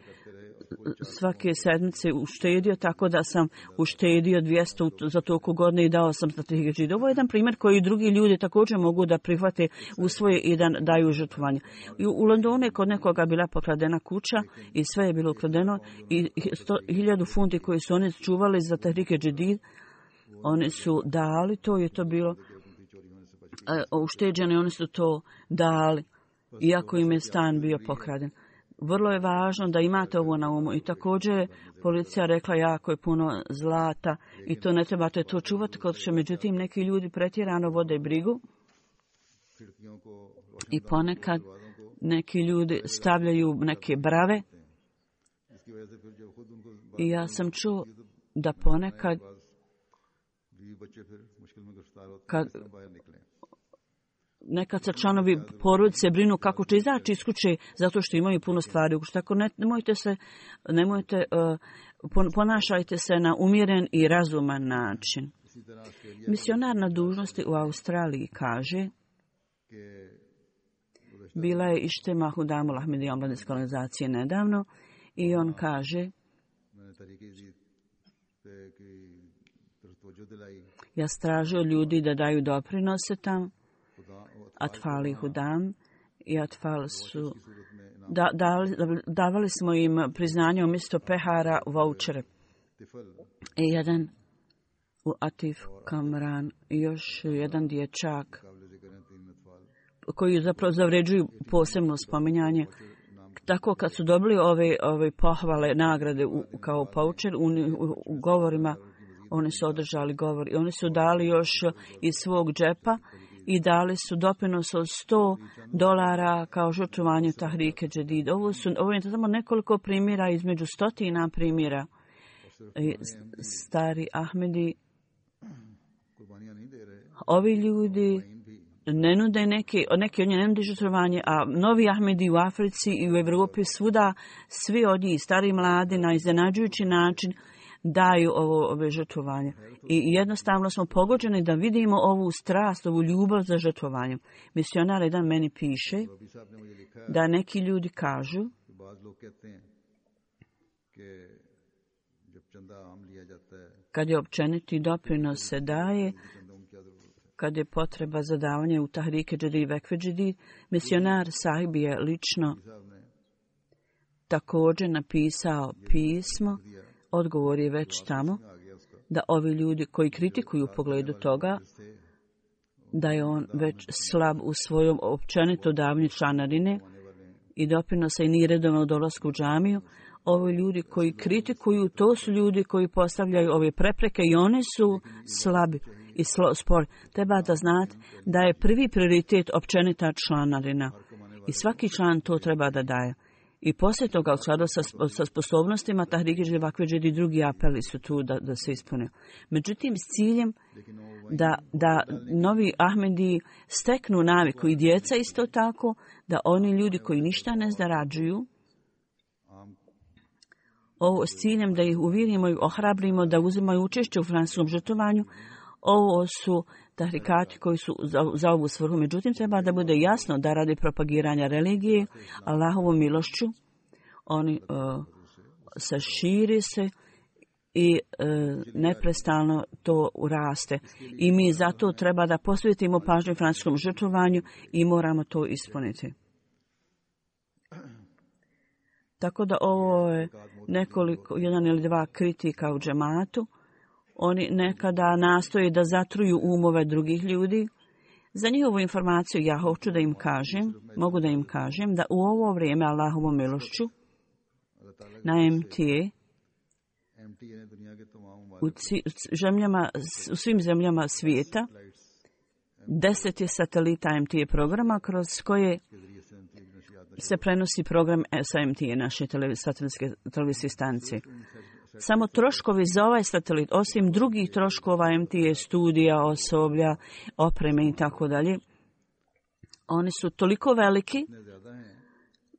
sedmice uštedio, tako da sam uštedio 200 za toliko godine i dao sam za 3 žida. Ovo je jedan primjer koji drugi ljudi također mogu da prihvate u svoje i da daju žrtvovanje. U Londonu je kod nekoga bila pokradena kuća i sve je bilo ukradeno i 1000 funti koji su oni čuvali za Tahrike Džedid, oni su dali to i to bilo ušteđeno i oni su to dali, iako im je stan bio pokraden. Vrlo je važno da imate ovo na umu i također policija rekla jako je puno zlata i to ne trebate to čuvati kod što, međutim neki ljudi pretjerano vode brigu i ponekad neki ljudi stavljaju neke brave i ja sam čuo da ponekad nekad se članovi porodice brinu kako će izaći iz kuće zato što imaju puno stvari. Tako ponašajte se na umjeren i razuman način. Misionar na dužnosti u Australiji kaže, bila je Ištema Hudamul Ahmedi omladinske organizacije nedavno i on kaže, ja stražio ljudi da daju doprinose tam, Atfali Hudam i Atfal su davali smo im priznanje umjesto pehara vouchere. I jedan u Atif Kamran i još jedan dječak koji zapravo zavređuju posebno spominjanje. Tako kad su dobili ove pohvale, nagrade kao poucher u govorima, oni su održali govor i oni su dali još iz svog džepa i dali su doprinos od $100 kao žrtvovanju Tahrike Džedid. Ovo je samo nekoliko primjera između stotina primjera. Stari Ahmedi, ovi ljudi ne nude neki od njih ne nude žrtvovanje, a novi Ahmedi u Africi i u Europi svuda, svi od njih, stari i mladi, na iznenađujući način daju ove žrtvovanje. I jednostavno smo pogođeni da vidimo ovu strast, ovu ljubav za žrtvovanje. Misionar jedan meni piše da neki ljudi kažu kad je općeniti doprinos se daje, kad je potreba za davanje u Tahrike Jadid Vakfe Jadid, misionar Sahib je lično također napisao pismo, odgovor je već tamo, da ovi ljudi koji kritikuju u pogledu toga, da je on već slab u svojom općenito davanju članarine i doprinosa i nije redovno dolasku u džamiju. Ovi ljudi koji kritikuju, to su ljudi koji postavljaju ove prepreke i oni su slabi i spori. Treba da znate da je prvi prioritet općenita članarina i svaki član to treba da daje. I poslije toga, u skladu sa sposobnostima, Tahrike Jadid Vakfe Jadid i drugi apeli su tu da se ispune. Međutim, s ciljem da novi Ahmedi steknu naviku i djeca isto tako, da oni ljudi koji ništa ne zarađuju, ovo s ciljem da ih uvjerimo i ohrabrimo da uzimaju učešće u francuskom žrtvovanju, ovo su tahrikati koji su za ovu svrhu. Međutim, treba da bude jasno da radi propagiranja religije, Allahovom milošću, oni se širi se i neprestano to raste. I mi zato treba da posvetimo pažnju francuskom žrtvovanju i moramo to ispuniti. Tako da ovo je jedan ili dva kritika u džematu. Oni nekada nastoje da zatruju umove drugih ljudi. Za njihovu informaciju ja hoću da im kažem, mogu da im kažem da u ovo vrijeme Allahovom milošću na MTA u svim zemljama svijeta 10 je satelita MTA programa kroz koje se prenosi program sa MTA, naše satelitske televizijske stanice. Samo troškovi za ovaj satelit, osim drugih troškova MTA, studija, osoblja, opreme i tako dalje, oni su toliko veliki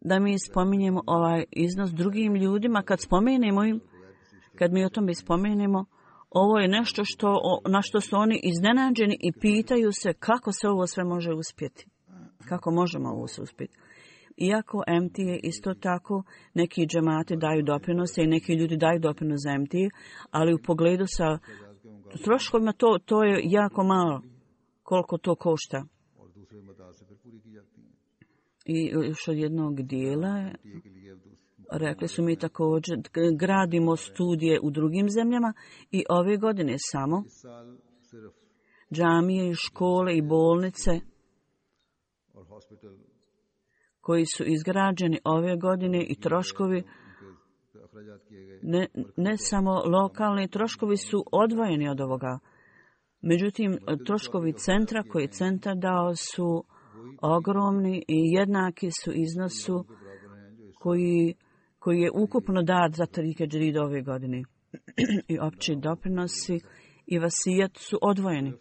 da mi spominjemo ovaj iznos drugim ljudima. Kad mi o tome spomenemo, ovo je nešto na što su oni iznenađeni i pitaju se kako se ovo sve može uspjeti. Kako možemo ovo sve uspjeti. Iako MTA isto tako, neki džemati daju doprinose i neki ljudi daju doprinos za MTA, ali u pogledu sa troškovima to je jako malo koliko to košta. I još od jednog dijela rekli su mi također gradimo studije u drugim zemljama i ove godine samo džamije, škole i bolnice koji su izgrađeni ove godine i troškovi, ne samo lokalni, troškovi su odvojeni od ovoga. Međutim, troškovi centra koji je centar dao su ogromni i jednaki su iznosu koji je ukupno dat za Tahrike Jadid ove godine. I opći doprinosi i vasijat su odvojeni.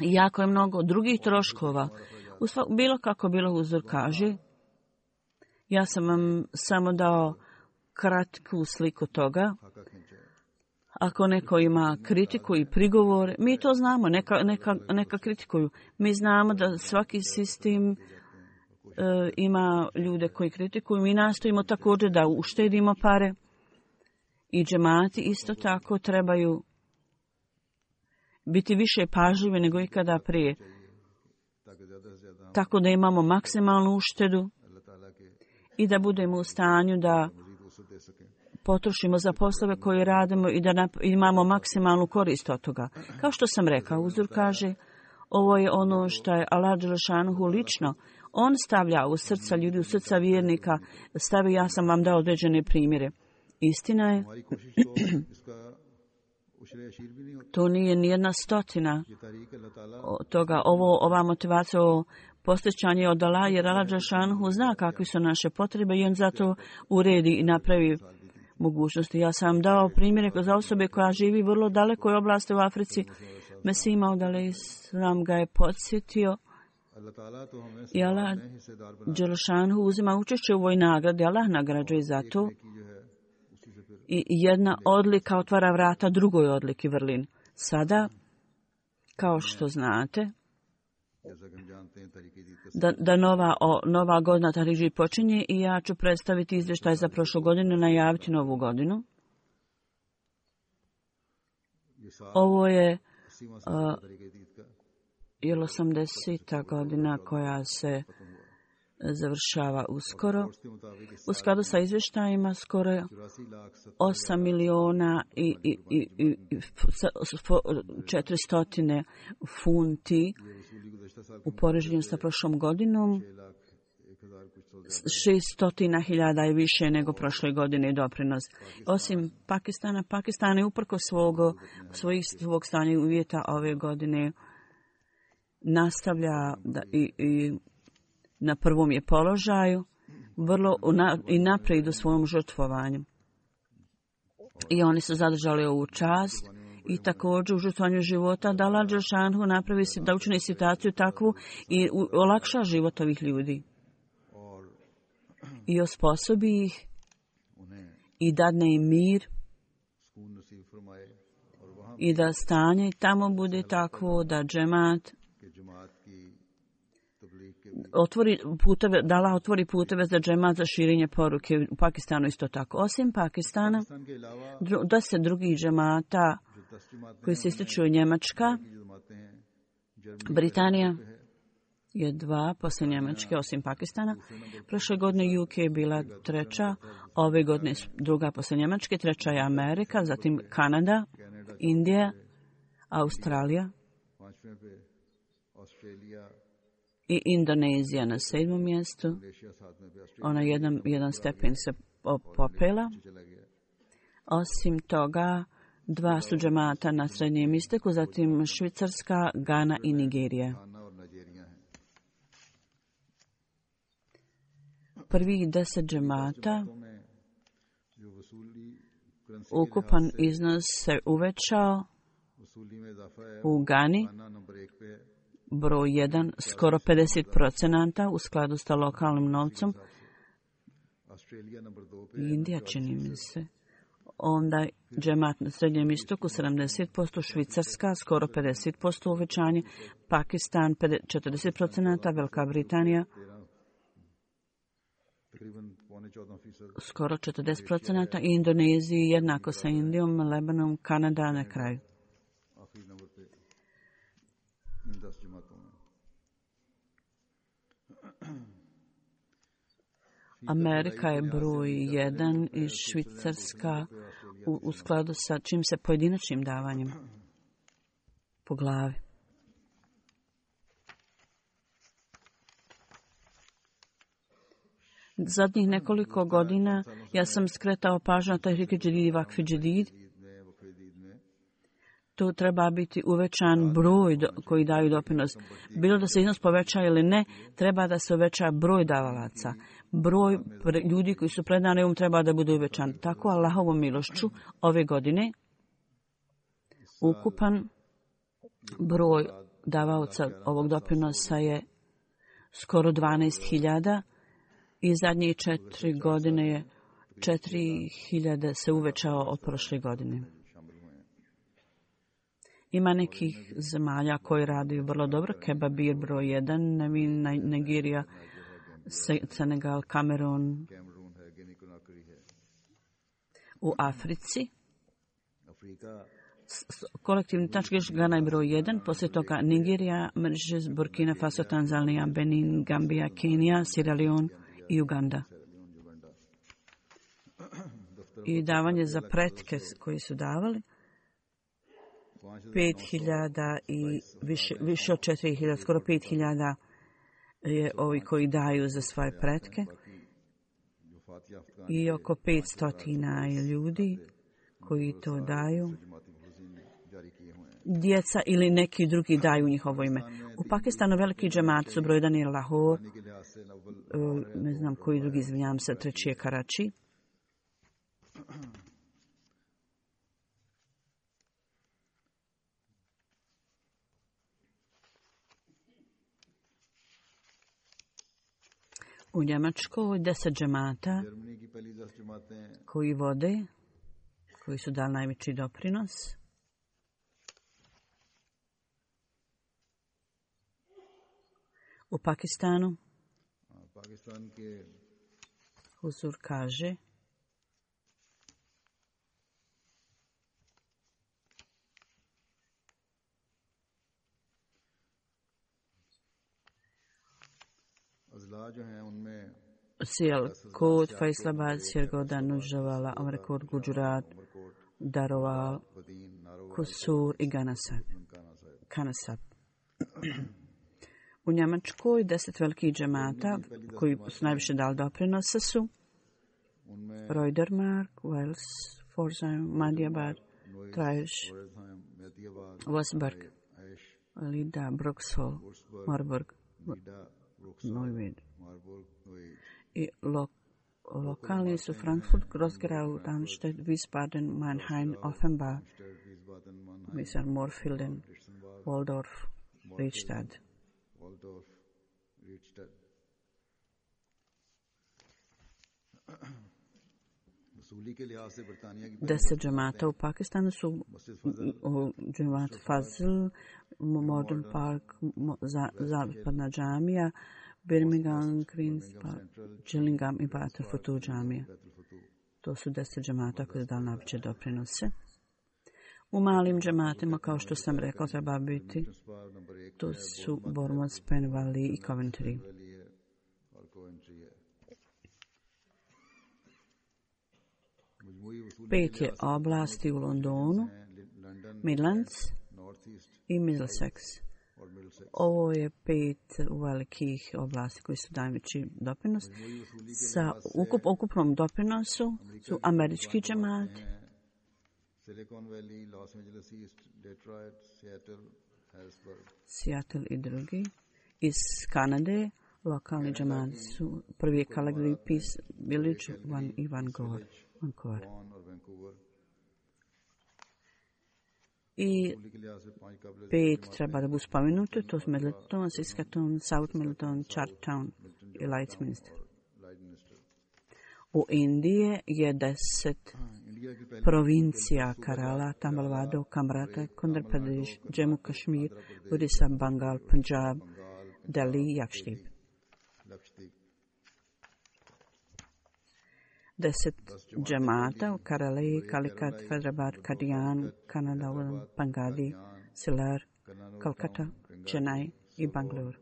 I jako je mnogo drugih troškova. Bilo kako bilo uzor kaže, ja sam vam samo dao kratku sliku toga. Ako neko ima kritiku i prigovor, mi to znamo, neka kritikuju. Mi znamo da svaki sistem ima ljude koji kritikuju. Mi nastojimo također da uštedimo pare i džemati isto tako trebaju biti više pažljivi nego ikada prije. Tako da imamo maksimalnu uštedu i da budemo u stanju da potrošimo za poslove koje radimo i da imamo maksimalnu korist od toga. Kao što sam rekao, uzor kaže, ovo je ono što je Allah Đelešanuhu lično. On stavlja u srca ljudi, u srca vjernika, ja sam vam dao određene primjere. Istina je, to nije nijedna stotina toga. Ova motivacija, posjećanje od Allah, jer Allah Đelešanuhu zna kakve su naše potrebe i on zato uredi i napravi mogućnosti. Ja sam dao primjere za osobe koja živi vrlo dalekoj oblasti u Africi. Mesih Maud alejhi selam ga je podsjetio i Allah Đelešanuhu uzima učešće u ovoj nagradi. Allah nagrađuje za to. I jedna odlika otvara vrata drugoj odliki vrlin. Sada, kao što znate, da nova godina Tahrike Jadid počinje i ja ću predstaviti izvještaj za prošlu godinu, najaviti novu godinu. Ovo je je 80. godina koja se završava uskoro. U skladu sa izvještajima skoro 8 miliona i 400 funti u poređenju sa prošlom godinom. 600.000 je više nego prošle godine doprinos. Osim Pakistana, Pakistan je uprkos svog stanja i uvjeta ove godine nastavlja i na prvom je položaju i naprijed u svojom žrtvovanju. I oni su zadržali ovu čast i također u žrtvovanju života da Allah dželešanu napravi da učini situaciju takvu i olakša život ovih ljudi. I osposobi ih i dadne im mir i da stanje tamo bude takvo da džemat da Allah otvori puteve za džemat za širenje poruke. U Pakistanu isto tako. Osim Pakistana, 10 drugih džemata koji se ističu Njemačka, Britanija je 2 poslije Njemačke, osim Pakistana. Prošle godine UK je bila 3, ove godine 2 poslije Njemačke, 3 je Amerika, zatim Kanada, Indija, Australija i Indonezija na 7. mjestu. Ona jedan stepen se popela. Osim toga, 2 su džemata na Srednjem istoku, zatim Švicarska, Gana i Nigerija. Prvih 10 džemata, ukupan iznos se uvećao u Gani, broj 1, skoro 50% u skladu sa lokalnim novcom. Indija čini mi se. Onda džemat na Srednjem istoku 70%, Švicarska skoro 50% uvećanje, Pakistan 40%, Velika Britanija skoro 40% i Indoneziji jednako sa Indijom, Lebanom, Kanada na kraju. Amerika je broj 1 i Švicarska u skladu sa čim se pojedinačnim davanjem po glavi. Zadnjih nekoliko godina ja sam skretao pažnju na Tahriki Džedid i Vakfi Džedid. Tu treba biti uvećan broj koji daju doprinos. Bilo da se iznos poveća ili ne, treba da se uveća broj davalaca. Broj ljudi koji su predani treba da bude uvećan. Tako Allahovom milošću ove godine ukupan broj davaoca ovog doprinosa je skoro 12.000 i zadnjih 4 godine je 4.000 se uvećao od prošle godine. Ima nekih zemalja koji radi vrlo dobro. Kebabir broj 1, Nigerija, Senegal, Kamerun. U Africi kolektivni tačkiš Gana je broj 1, poslije toga Nigerija, Mauritius, Burkina Faso, Tanzanija, Benin, Gambija, Kenija, Sierra Leone i Uganda. I davanje za pretke koji su davali 5.000 i više od 4.000, skoro 5.000 je ovi koji daju za svoje pretke i oko 500 je ljudi koji to daju. Djeca ili neki drugi daju njihovo ime. U Pakistanu veliki džemat su broj 1 je Lahore, ne znam koji drugi, izvinjam se, 3 je Karači. U Njemačkoj 10 džemata koji vode, koji su dali najveći doprinos. U Pakistanu Huzur kaže Sialkot, Faisalabad, Sirgoda, Nujravala, Amarkot, Gujarat, Daroval, Kusur i Kanasab. U Njemačkoj 10 velikih džemata koji su najviše dali doprinosa su Reutermark, Wels, Pforzheim, Madhyabad, Traisch, Wolfsburg, Lida, Bruxhall, Marburg, Neuwied. I lokalni su Frankfurt, Groß-Gerau, Darmstadt, Wiesbaden, Mannheim, Offenbach, Morfelden, Waldorf, Riedstadt. Deset džemata u Pakistanu su džemat Fazl, Modern Park, Zapadna džamija, Birmingham, Queen's Park, Gillingham i Battlefutu džamija. To su 10 džemata koji su dali najveće doprinose. U malim džematima, kao što sam rekao, treba biti, to su Bournemouth, Penn Valley i Coventry. Pet je oblasti u Londonu, Midlands i Middlesex. Ovo je 5 velikih oblasti koji su najveći doprinos. Sa ukupnom doprinosu su američki džemati, Seattle i drugi. Iz Kanade lokalni džemati su prvi je Calgary, Peace Village i Vancouver. I 5 treba da budu spomenuti, to su Middleton, Saskatoon, South Middleton, Chartertown i Lightminster. U Indiji je 10 provincija Kerala, Tamil Nadu, Kamrata, Andhra Pradesh, Jammu Kashmir, Odisha, Bengal, Punjab, Delhi i Lakshadweep. 10 džemata u Kerala, Calicut, Hyderabad, Kadian, Kanadavan, Pangadi, Silar, Kolkata, Chennai i Bangalore.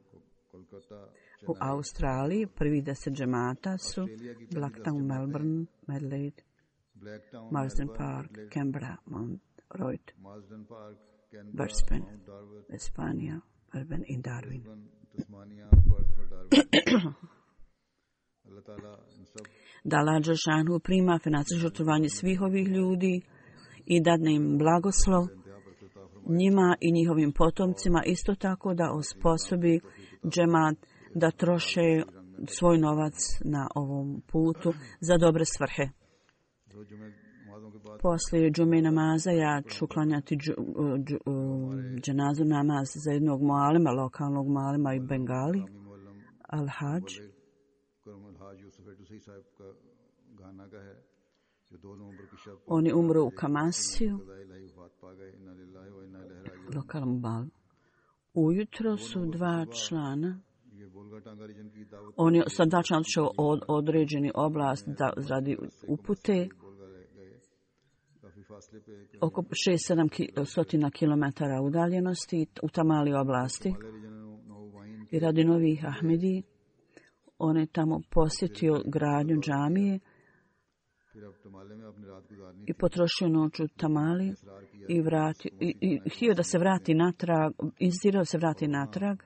U Australiji prvi 10 džemata su Blacktown, Melbourne, Adelaide, Marsden Park, Canberra, Mount Royal, Brisbane, Espanija, Melbourne i Darwin. Da Allah Đelešanu prima financijsko žrtvovanje svih ovih ljudi i dadne im blagoslov njima i njihovim potomcima, isto tako da osposobi džemat da troše svoj novac na ovom putu za dobre svrhe. Poslije džume namaza ja ću klanjati dženazu namaz za jednog mualima, lokalnog mualima i Bengali, Al-Hajj. Oni umru u Kamasiju, lokalnom balu. Ujutro su 2 člana. Oni sa 2 člana otišao određeni oblast da radi upute oko 600-700 km udaljenosti u tamali oblasti. I radi novih Ahmedi, on je tamo posjetio gradnju džamije i potrošio noć u tamali i htio da se vrati natrag, insistirao da se vrati natrag.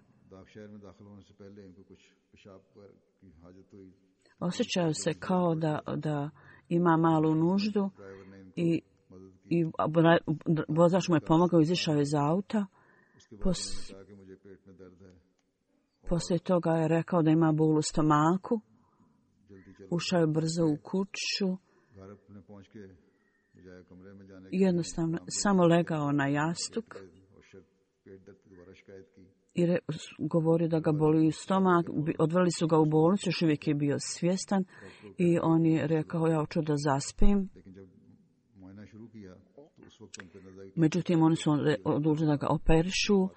Osjećao se kao da ima malu nuždu i vozač mu je pomogao, izišao je iz auta. Poslije toga je rekao da ima bol u stomaku. Ušao je brzo u kuću. Jednostavno, samo legao na jastuk i govorio da ga boli stomak. Odveli su ga u bolnicu, još uvijek je bio svjestan i on je rekao ja hoću da zaspim. Međutim, oni su odlučili da ga operišu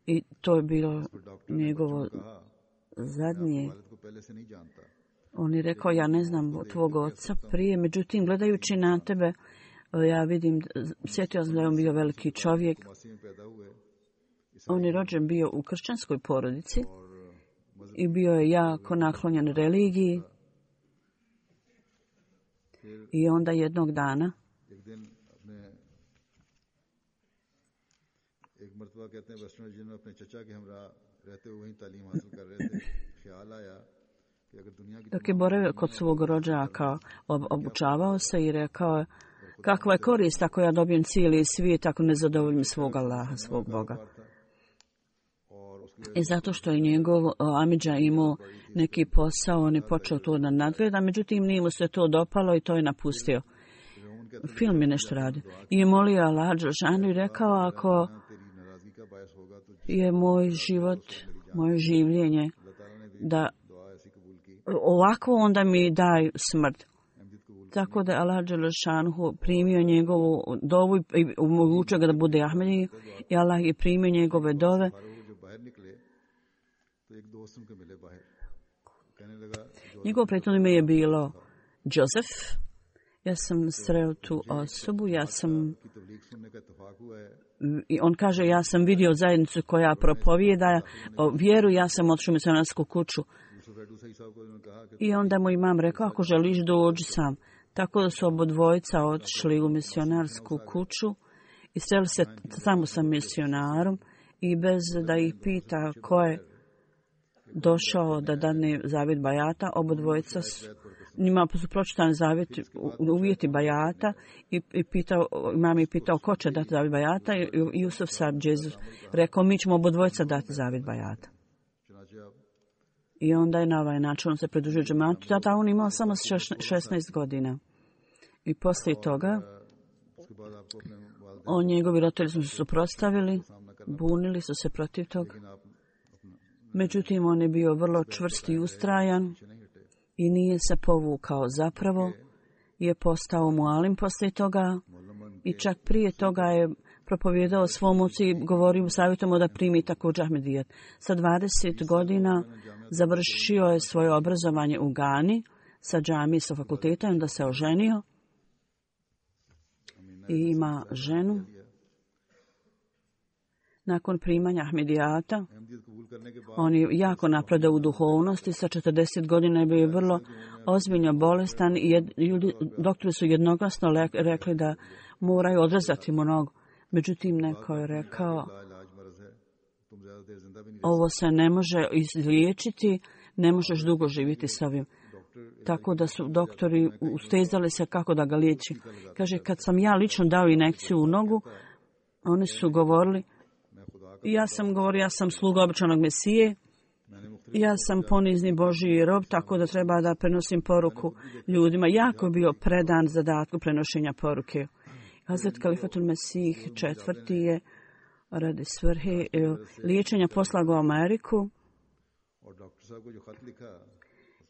i to je bilo njegovo zadnje. On je rekao, ja ne znam tvog oca prije, međutim, gledajući na tebe, ja vidim, sjetio sam da je on bio veliki čovjek. On je rođen bio u kršćanskoj porodici i bio je jako naklonjen religiji. I onda jednog dana dok je boravio kod svog rođaka, obučavao se i rekao je: kakva je korist ako ja dobijem cijeli svijet ako ne zadovoljim svog Allaha, svog Boga. I zato što je njegov amidža imao neki posao, on je počeo to da nadgleda, međutim nije mu se to dopalo i to je napustio. Film je nešto radio. I je molio Allah dželešanu i rekao: ako je moj život, moje življenje da ovako, onda mi daj smrt. Tako da Allah dželešanu primio njegovu dovu i omogućio ga da bude Ahmedi, i Allah je primio njegove dove. Njegovo prethodno ime je bilo Joseph. Ja sam sreo tu osobu, i on kaže: ja sam vidio zajednicu koja propovijeda vjeru, ja sam otišao u misionarsku kuću. I onda mu imam rekao: ako želiš dođi sam. Tako da su obodvojica otišli u misionarsku kuću i sreli se samo sa misionarom, i bez da ih pita ko je došao da dane zavjet bajata, obodvojica njima su pročitani uvjeti bajata i imam je pitao ko će dati zavjet bajata, i Jusuf sad Džezus rekao: mi ćemo obodvojica dati zavjet bajata. I onda je na ovaj način on se pridružio džematu. Tada on imao samo 16 godina. I poslije toga njegovi roditelji su se suprotstavili, bunili su se protiv toga. Međutim, on je bio vrlo čvrst i ustrajan i nije se povukao. Zapravo je postao mualim poslije toga i čak prije toga je propovijedao svom ocu i govorio, savjetujemo da primi također Ahmedijet. Sa 20 godina završio je svoje obrazovanje u Gani sa džamije, sa fakulteta, i onda se oženio i ima ženu. Nakon primanja Ahmedijata, on je jako napredao u duhovnosti. Sa 40 godina je bio vrlo ozbiljno bolestan i doktori su jednoglasno rekli da moraju odrezati mu nogu. Međutim, neko je rekao: ovo se ne može izliječiti, ne možeš dugo živjeti s ovim. Tako da su doktori ustezali se kako da ga liječi. Kaže: kad sam ja lično dao injekciju u nogu, oni su govorili: ja sam sluga običanog Mesije, ja sam ponizni Božji rob, tako da treba da prenosim poruku ljudima. Jako je bio predan zadatku prenošenja poruke. Hazret Kalifatul Mesih IV. Je radi svrhe liječenja poslao u Ameriku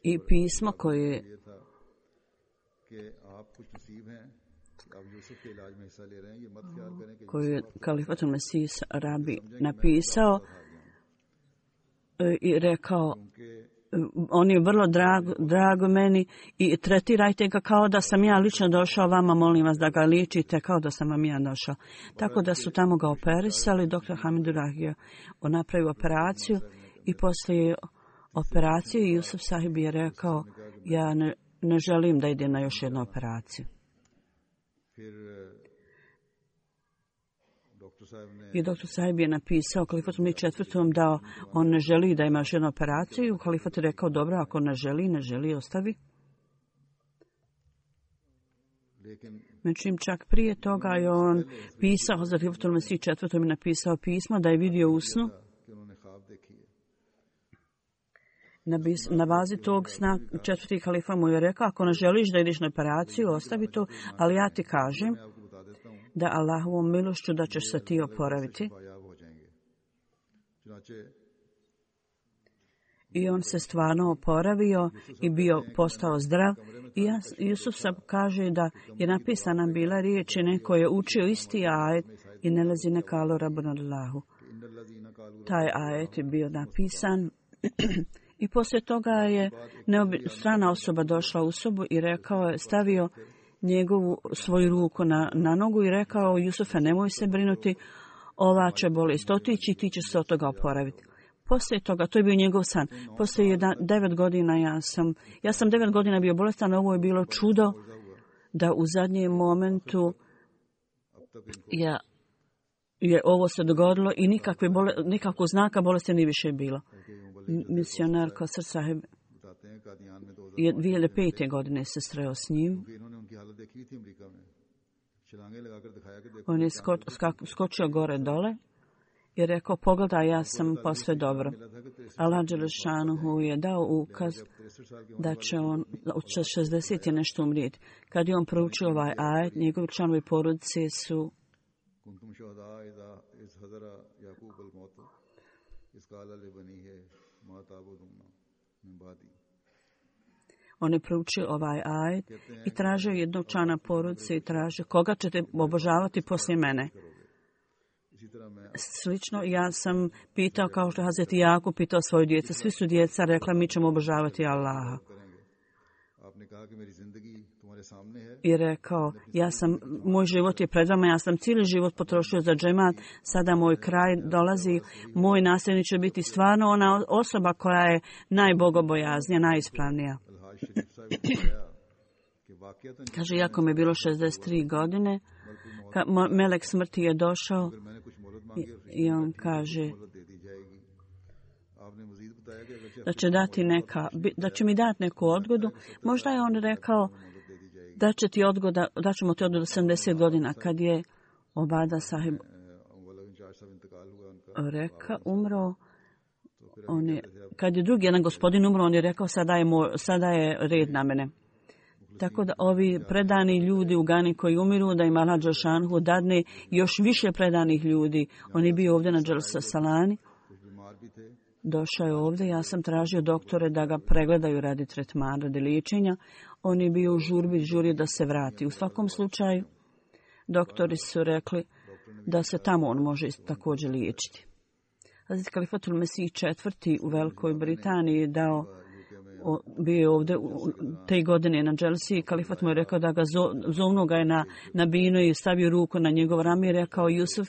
i pismo koje je Kalifatul Mesih Rabi napisao i rekao: on je vrlo drago meni i tretirajte ga kao da sam ja lično došao vama, molim vas da ga liječite kao da sam vam ja došao. Tako da su tamo ga operisali, dr. Hamidullah je napravio operaciju i poslije operacije Jusuf Sahib je rekao: ja ne želim da idem na još jednu operaciju. I doktor Sahib je napisao Kalifatu IV. Da on ne želi da ima još jednu operaciju. I Kalifat je rekao: dobro, ako ne želi, ostavi. Međutim, čak prije toga je on pisao, za Kalifatul Mesih IV. Je napisao pismo da je vidio u snu. Na bazi tog sna četvrti kalifa mu je rekao: ako ne želiš da ideš na operaciju, ostavi to, ali ja ti kažem da Allahovom milošću da ćeš se ti oporaviti. I on se stvarno oporavio i postao zdrav. I Jusuf sam kaže da je napisana bila riječi, neko je učio isti ajet i ne lezi ne kalu Rabbuna Allahu. Taj ajet je bio napisan i poslije toga je strana osoba došla u sobu i stavio svoju ruku na nogu i rekao: Jusufe, nemoj se brinuti, ova će bolest otići i ti će se od toga oporaviti. Poslije toga, to je bio njegov san. Poslije 9 godina ja sam 9 godina bio bolestan, ovo je bilo čudo da u zadnjem momentu je ovo se dogodilo i nikakvog znaka bolesti nije više bilo. Misionar Kosar Sahib je 2005. godine se sreo s njim. On je skočio gore dole i rekao, pogledaj, ja sam posve dobro. Allah Đelešanuhu je dao ukaz da će on od 60 je nešto umrijeti. Kad je on proučio ovaj ajet, njegovi članovi porodice su on je proučio ovaj ajet i tražio jednog člana porodice i tražio koga ćete obožavati poslije mene. Slično ja sam pitao, kao što Hazreti Jakub pitao svoju djecu. Svi su djeca rekla, mi ćemo obožavati Allaha. I rekao, moj život je pred vama, ja sam cijeli život potrošio za džemat, sada moj kraj dolazi, moj nasljednik će biti stvarno ona osoba koja je najbogobojaznija, najispravnija. Kaže, iako mi je bilo 63 godine, melek smrti je došao i on kaže da će mi dati neku odgodu. Možda je on rekao da ćemo ti odgodu 70 godina. Kad je Obada Sahib umro, kad je drugi jedan gospodin umro, on je rekao sada je red na mene. Tako da ovi predani ljudi u Gani koji umiru, da im Allah Đelšanhu dadne još više predanih ljudi. On je bio ovdje na Dželsa Salani. Došao je ovdje, ja sam tražio doktore da ga pregledaju radi tretmana, radi liječenja. On je bio u žurio da se vrati. U svakom slučaju, doktori su rekli da se tamo on može također liječiti. Hazrat Kalifatul Mesih IV. U Velikoj Britaniji bio je ovdje te godine na Dželsi. Kalifat mu je rekao da ga zovnu ga je na binu i stavio ruku na njegov rame i rekao, Jusuf,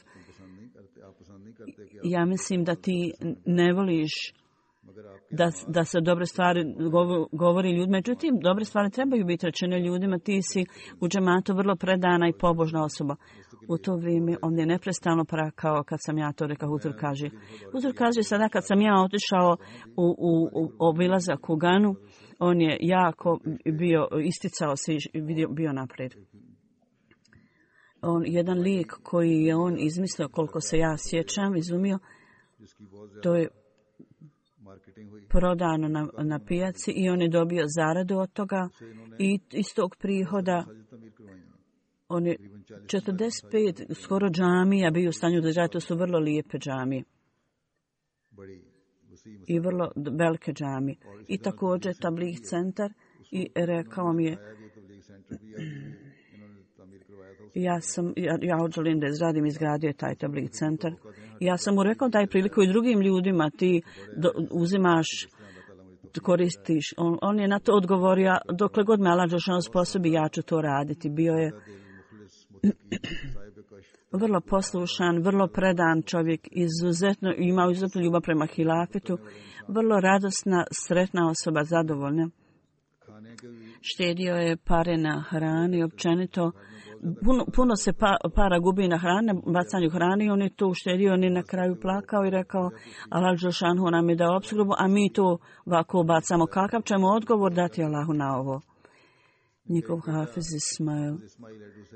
ja mislim da ti ne voliš da se dobre stvari govori ljudima. Međutim, dobre stvari trebaju biti rečene ljudima. Ti si u džematu vrlo predana i pobožna osoba. U to vrijeme on je neprestano prakao kad sam ja to rekao. Huzur kaže sada kad sam ja otišao u obilazak u Ganu, on je jako isticao se i bio naprijed. Jedan lijek koji je on izmislio, koliko se ja sjećam, izumio, to je prodano na pijaci i on je dobio zaradu od toga i iz tog prihoda on je 45 skoro džamija bio u stanju da žaj, to su vrlo lijepe džamije i vrlo velike džamije. I također tabligh centar i rekao mi je ja želim da izgradio taj tabligh centar. Ja sam mu rekao daj priliku i drugim ljudima, ti uzimaš, koristiš. On je na to odgovorio, dokle god me Allah Đelešanu sposobi, ja ću to raditi. Bio je vrlo poslušan, vrlo predan čovjek, imao izuzetnu ljubav prema hilafetu, vrlo radosna, sretna osoba, zadovoljna. Štedio je pare na hrani, općenito. Puno se para gubi na hrane, bacanju hrane i on je to uštedio, on je na kraju plakao i rekao Allah Đelšanhu nam je dao opskrbu, a mi to ovako bacamo. Kakav ćemo odgovor dati Allahu na ovo? Njegov Hafiz Ismail,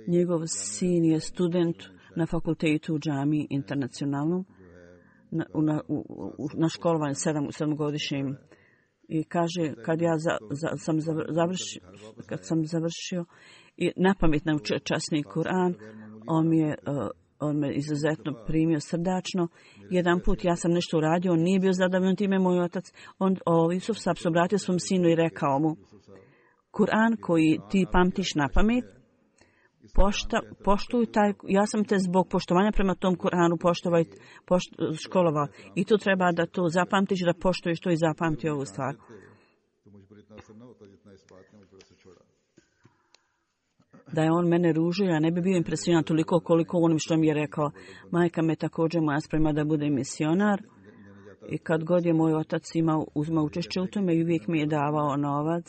njegov sin je student na fakultetu u džamiji internacionalnom, na školovanju 7-godišnjim. I kaže, kad sam završio i napamet naučio časni Kur'an, on me izuzetno primio srdačno. Jedan put ja sam nešto uradio, on nije bio zadovoljan time, moj otac. Jusuf Sab se obratio svom sinu i rekao mu, Kur'an koji ti pamtiš napamet, poštuj taj, ja sam te zbog poštovanja prema tom Kur'anu školovao. I tu treba da to zapamtiš, da poštuješ to i zapamti ovu stvar. Da je on mene ružio, ja ne bi bio impresioniran toliko koliko onim što mi je rekao. Majka me također moja sprema da bude misionar I kad god je moj otac uzmao učešće u tome i uvijek mi je davao novac,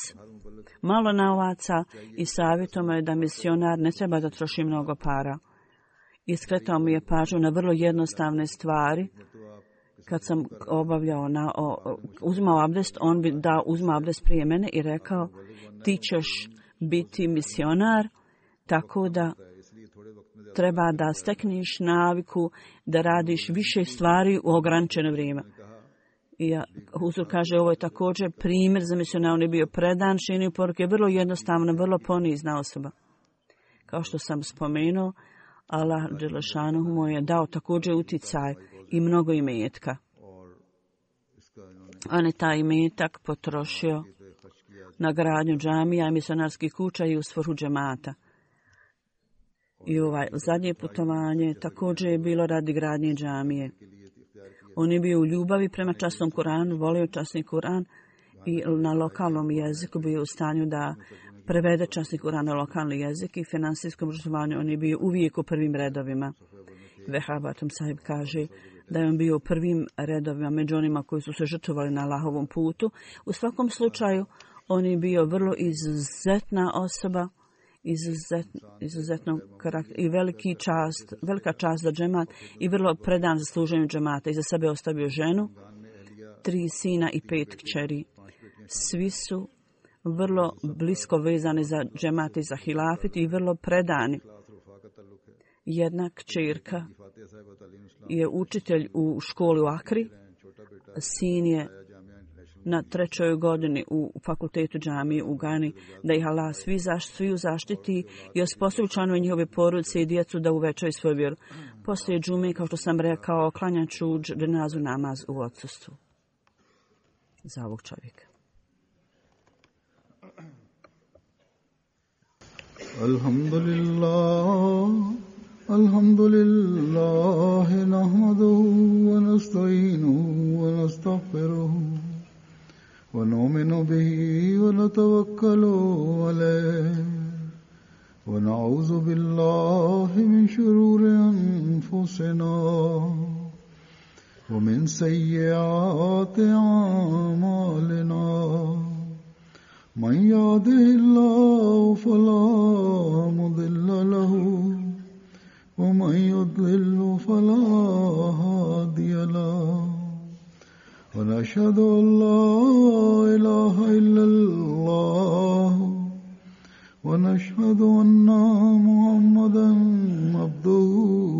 malo novaca i savjetao me da misionar ne treba da troši mnogo para. Iskretao mi je pažnju na vrlo jednostavne stvari. Kad sam uzmao abdest, on bi uzmao abdest prije mene i rekao, ti ćeš biti misionar, tako da treba da stekneš naviku da radiš više stvari u ograničeno vrijeme. I Huzur kaže, ovo je također primjer za misionara. On je bio predan šinju poruke, vrlo jednostavna, vrlo ponizna osoba. Kao što sam spomenuo, Allah dželešanuhu mu je dao također uticaj i mnogo imetka. On je taj imetak potrošio na gradnju džamija i misionarskih kuća i u svrhu džemata. I zadnje putovanje također je bilo radi gradnje džamije. On je bio u ljubavi prema časnom Kuranu, volio časni Kuran i na lokalnom jeziku bio u stanju da prevede časni Kuran na lokalni jezik i finansijskom obrazovanju. On je bio uvijek u prvim redovima. Vehabatum sahib kaže da je on bio u prvim redovima među onima koji su se žrtvovali na Allahovom putu. U svakom slučaju, on je bio vrlo izuzetna osoba, izuzetnog karaktera i velika čast za džemat i vrlo predan za služenju džemata. Iza sebe ostavio ženu, 3 sina i 5 kćeri. Svi su vrlo blisko vezani za džemat i za hilafit i vrlo predani. Jedna kćerka je učitelj u školi u Akri, sin je na 3. godini u fakultetu džamije u Gani, da ih Allah svi zaštiti i osposobi članove njihove porodice i djecu da uvećaju svoju vjeru. Poslije džume, kao što sam rekao, klanjaću dženazu namaz u odsustvu za ovog čovjeka. Alhamdulillah, nahmaduhu wa nasta'inuhu wa nastaghfiruhu wa nu'minu bihi wa natawakkalu alayhi wa na'udhu billahi min shururi anfusina wa min sayyiati a'malina. من يهده الله فلا مضل له ومن يضلل فلا هادي له ونشهد أن لا إله إلا الله ونشهد أن محمدا عبده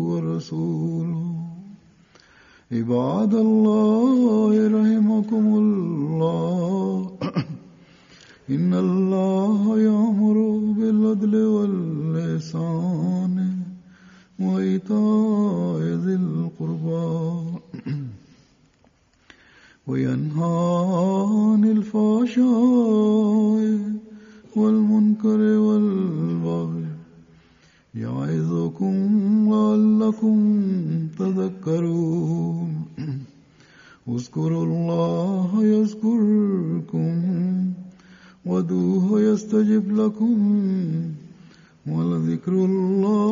ورسوله عباد الله رحمكم الله إن الله يأمر بالعدل والإحسان وإيتاء ذي القربى وينهى عن الفحشاء والمنكر والبغي يعظكم لعلكم تذكرون اذكروا الله يذكركم وادعوه يستجب لكم ولذكر الله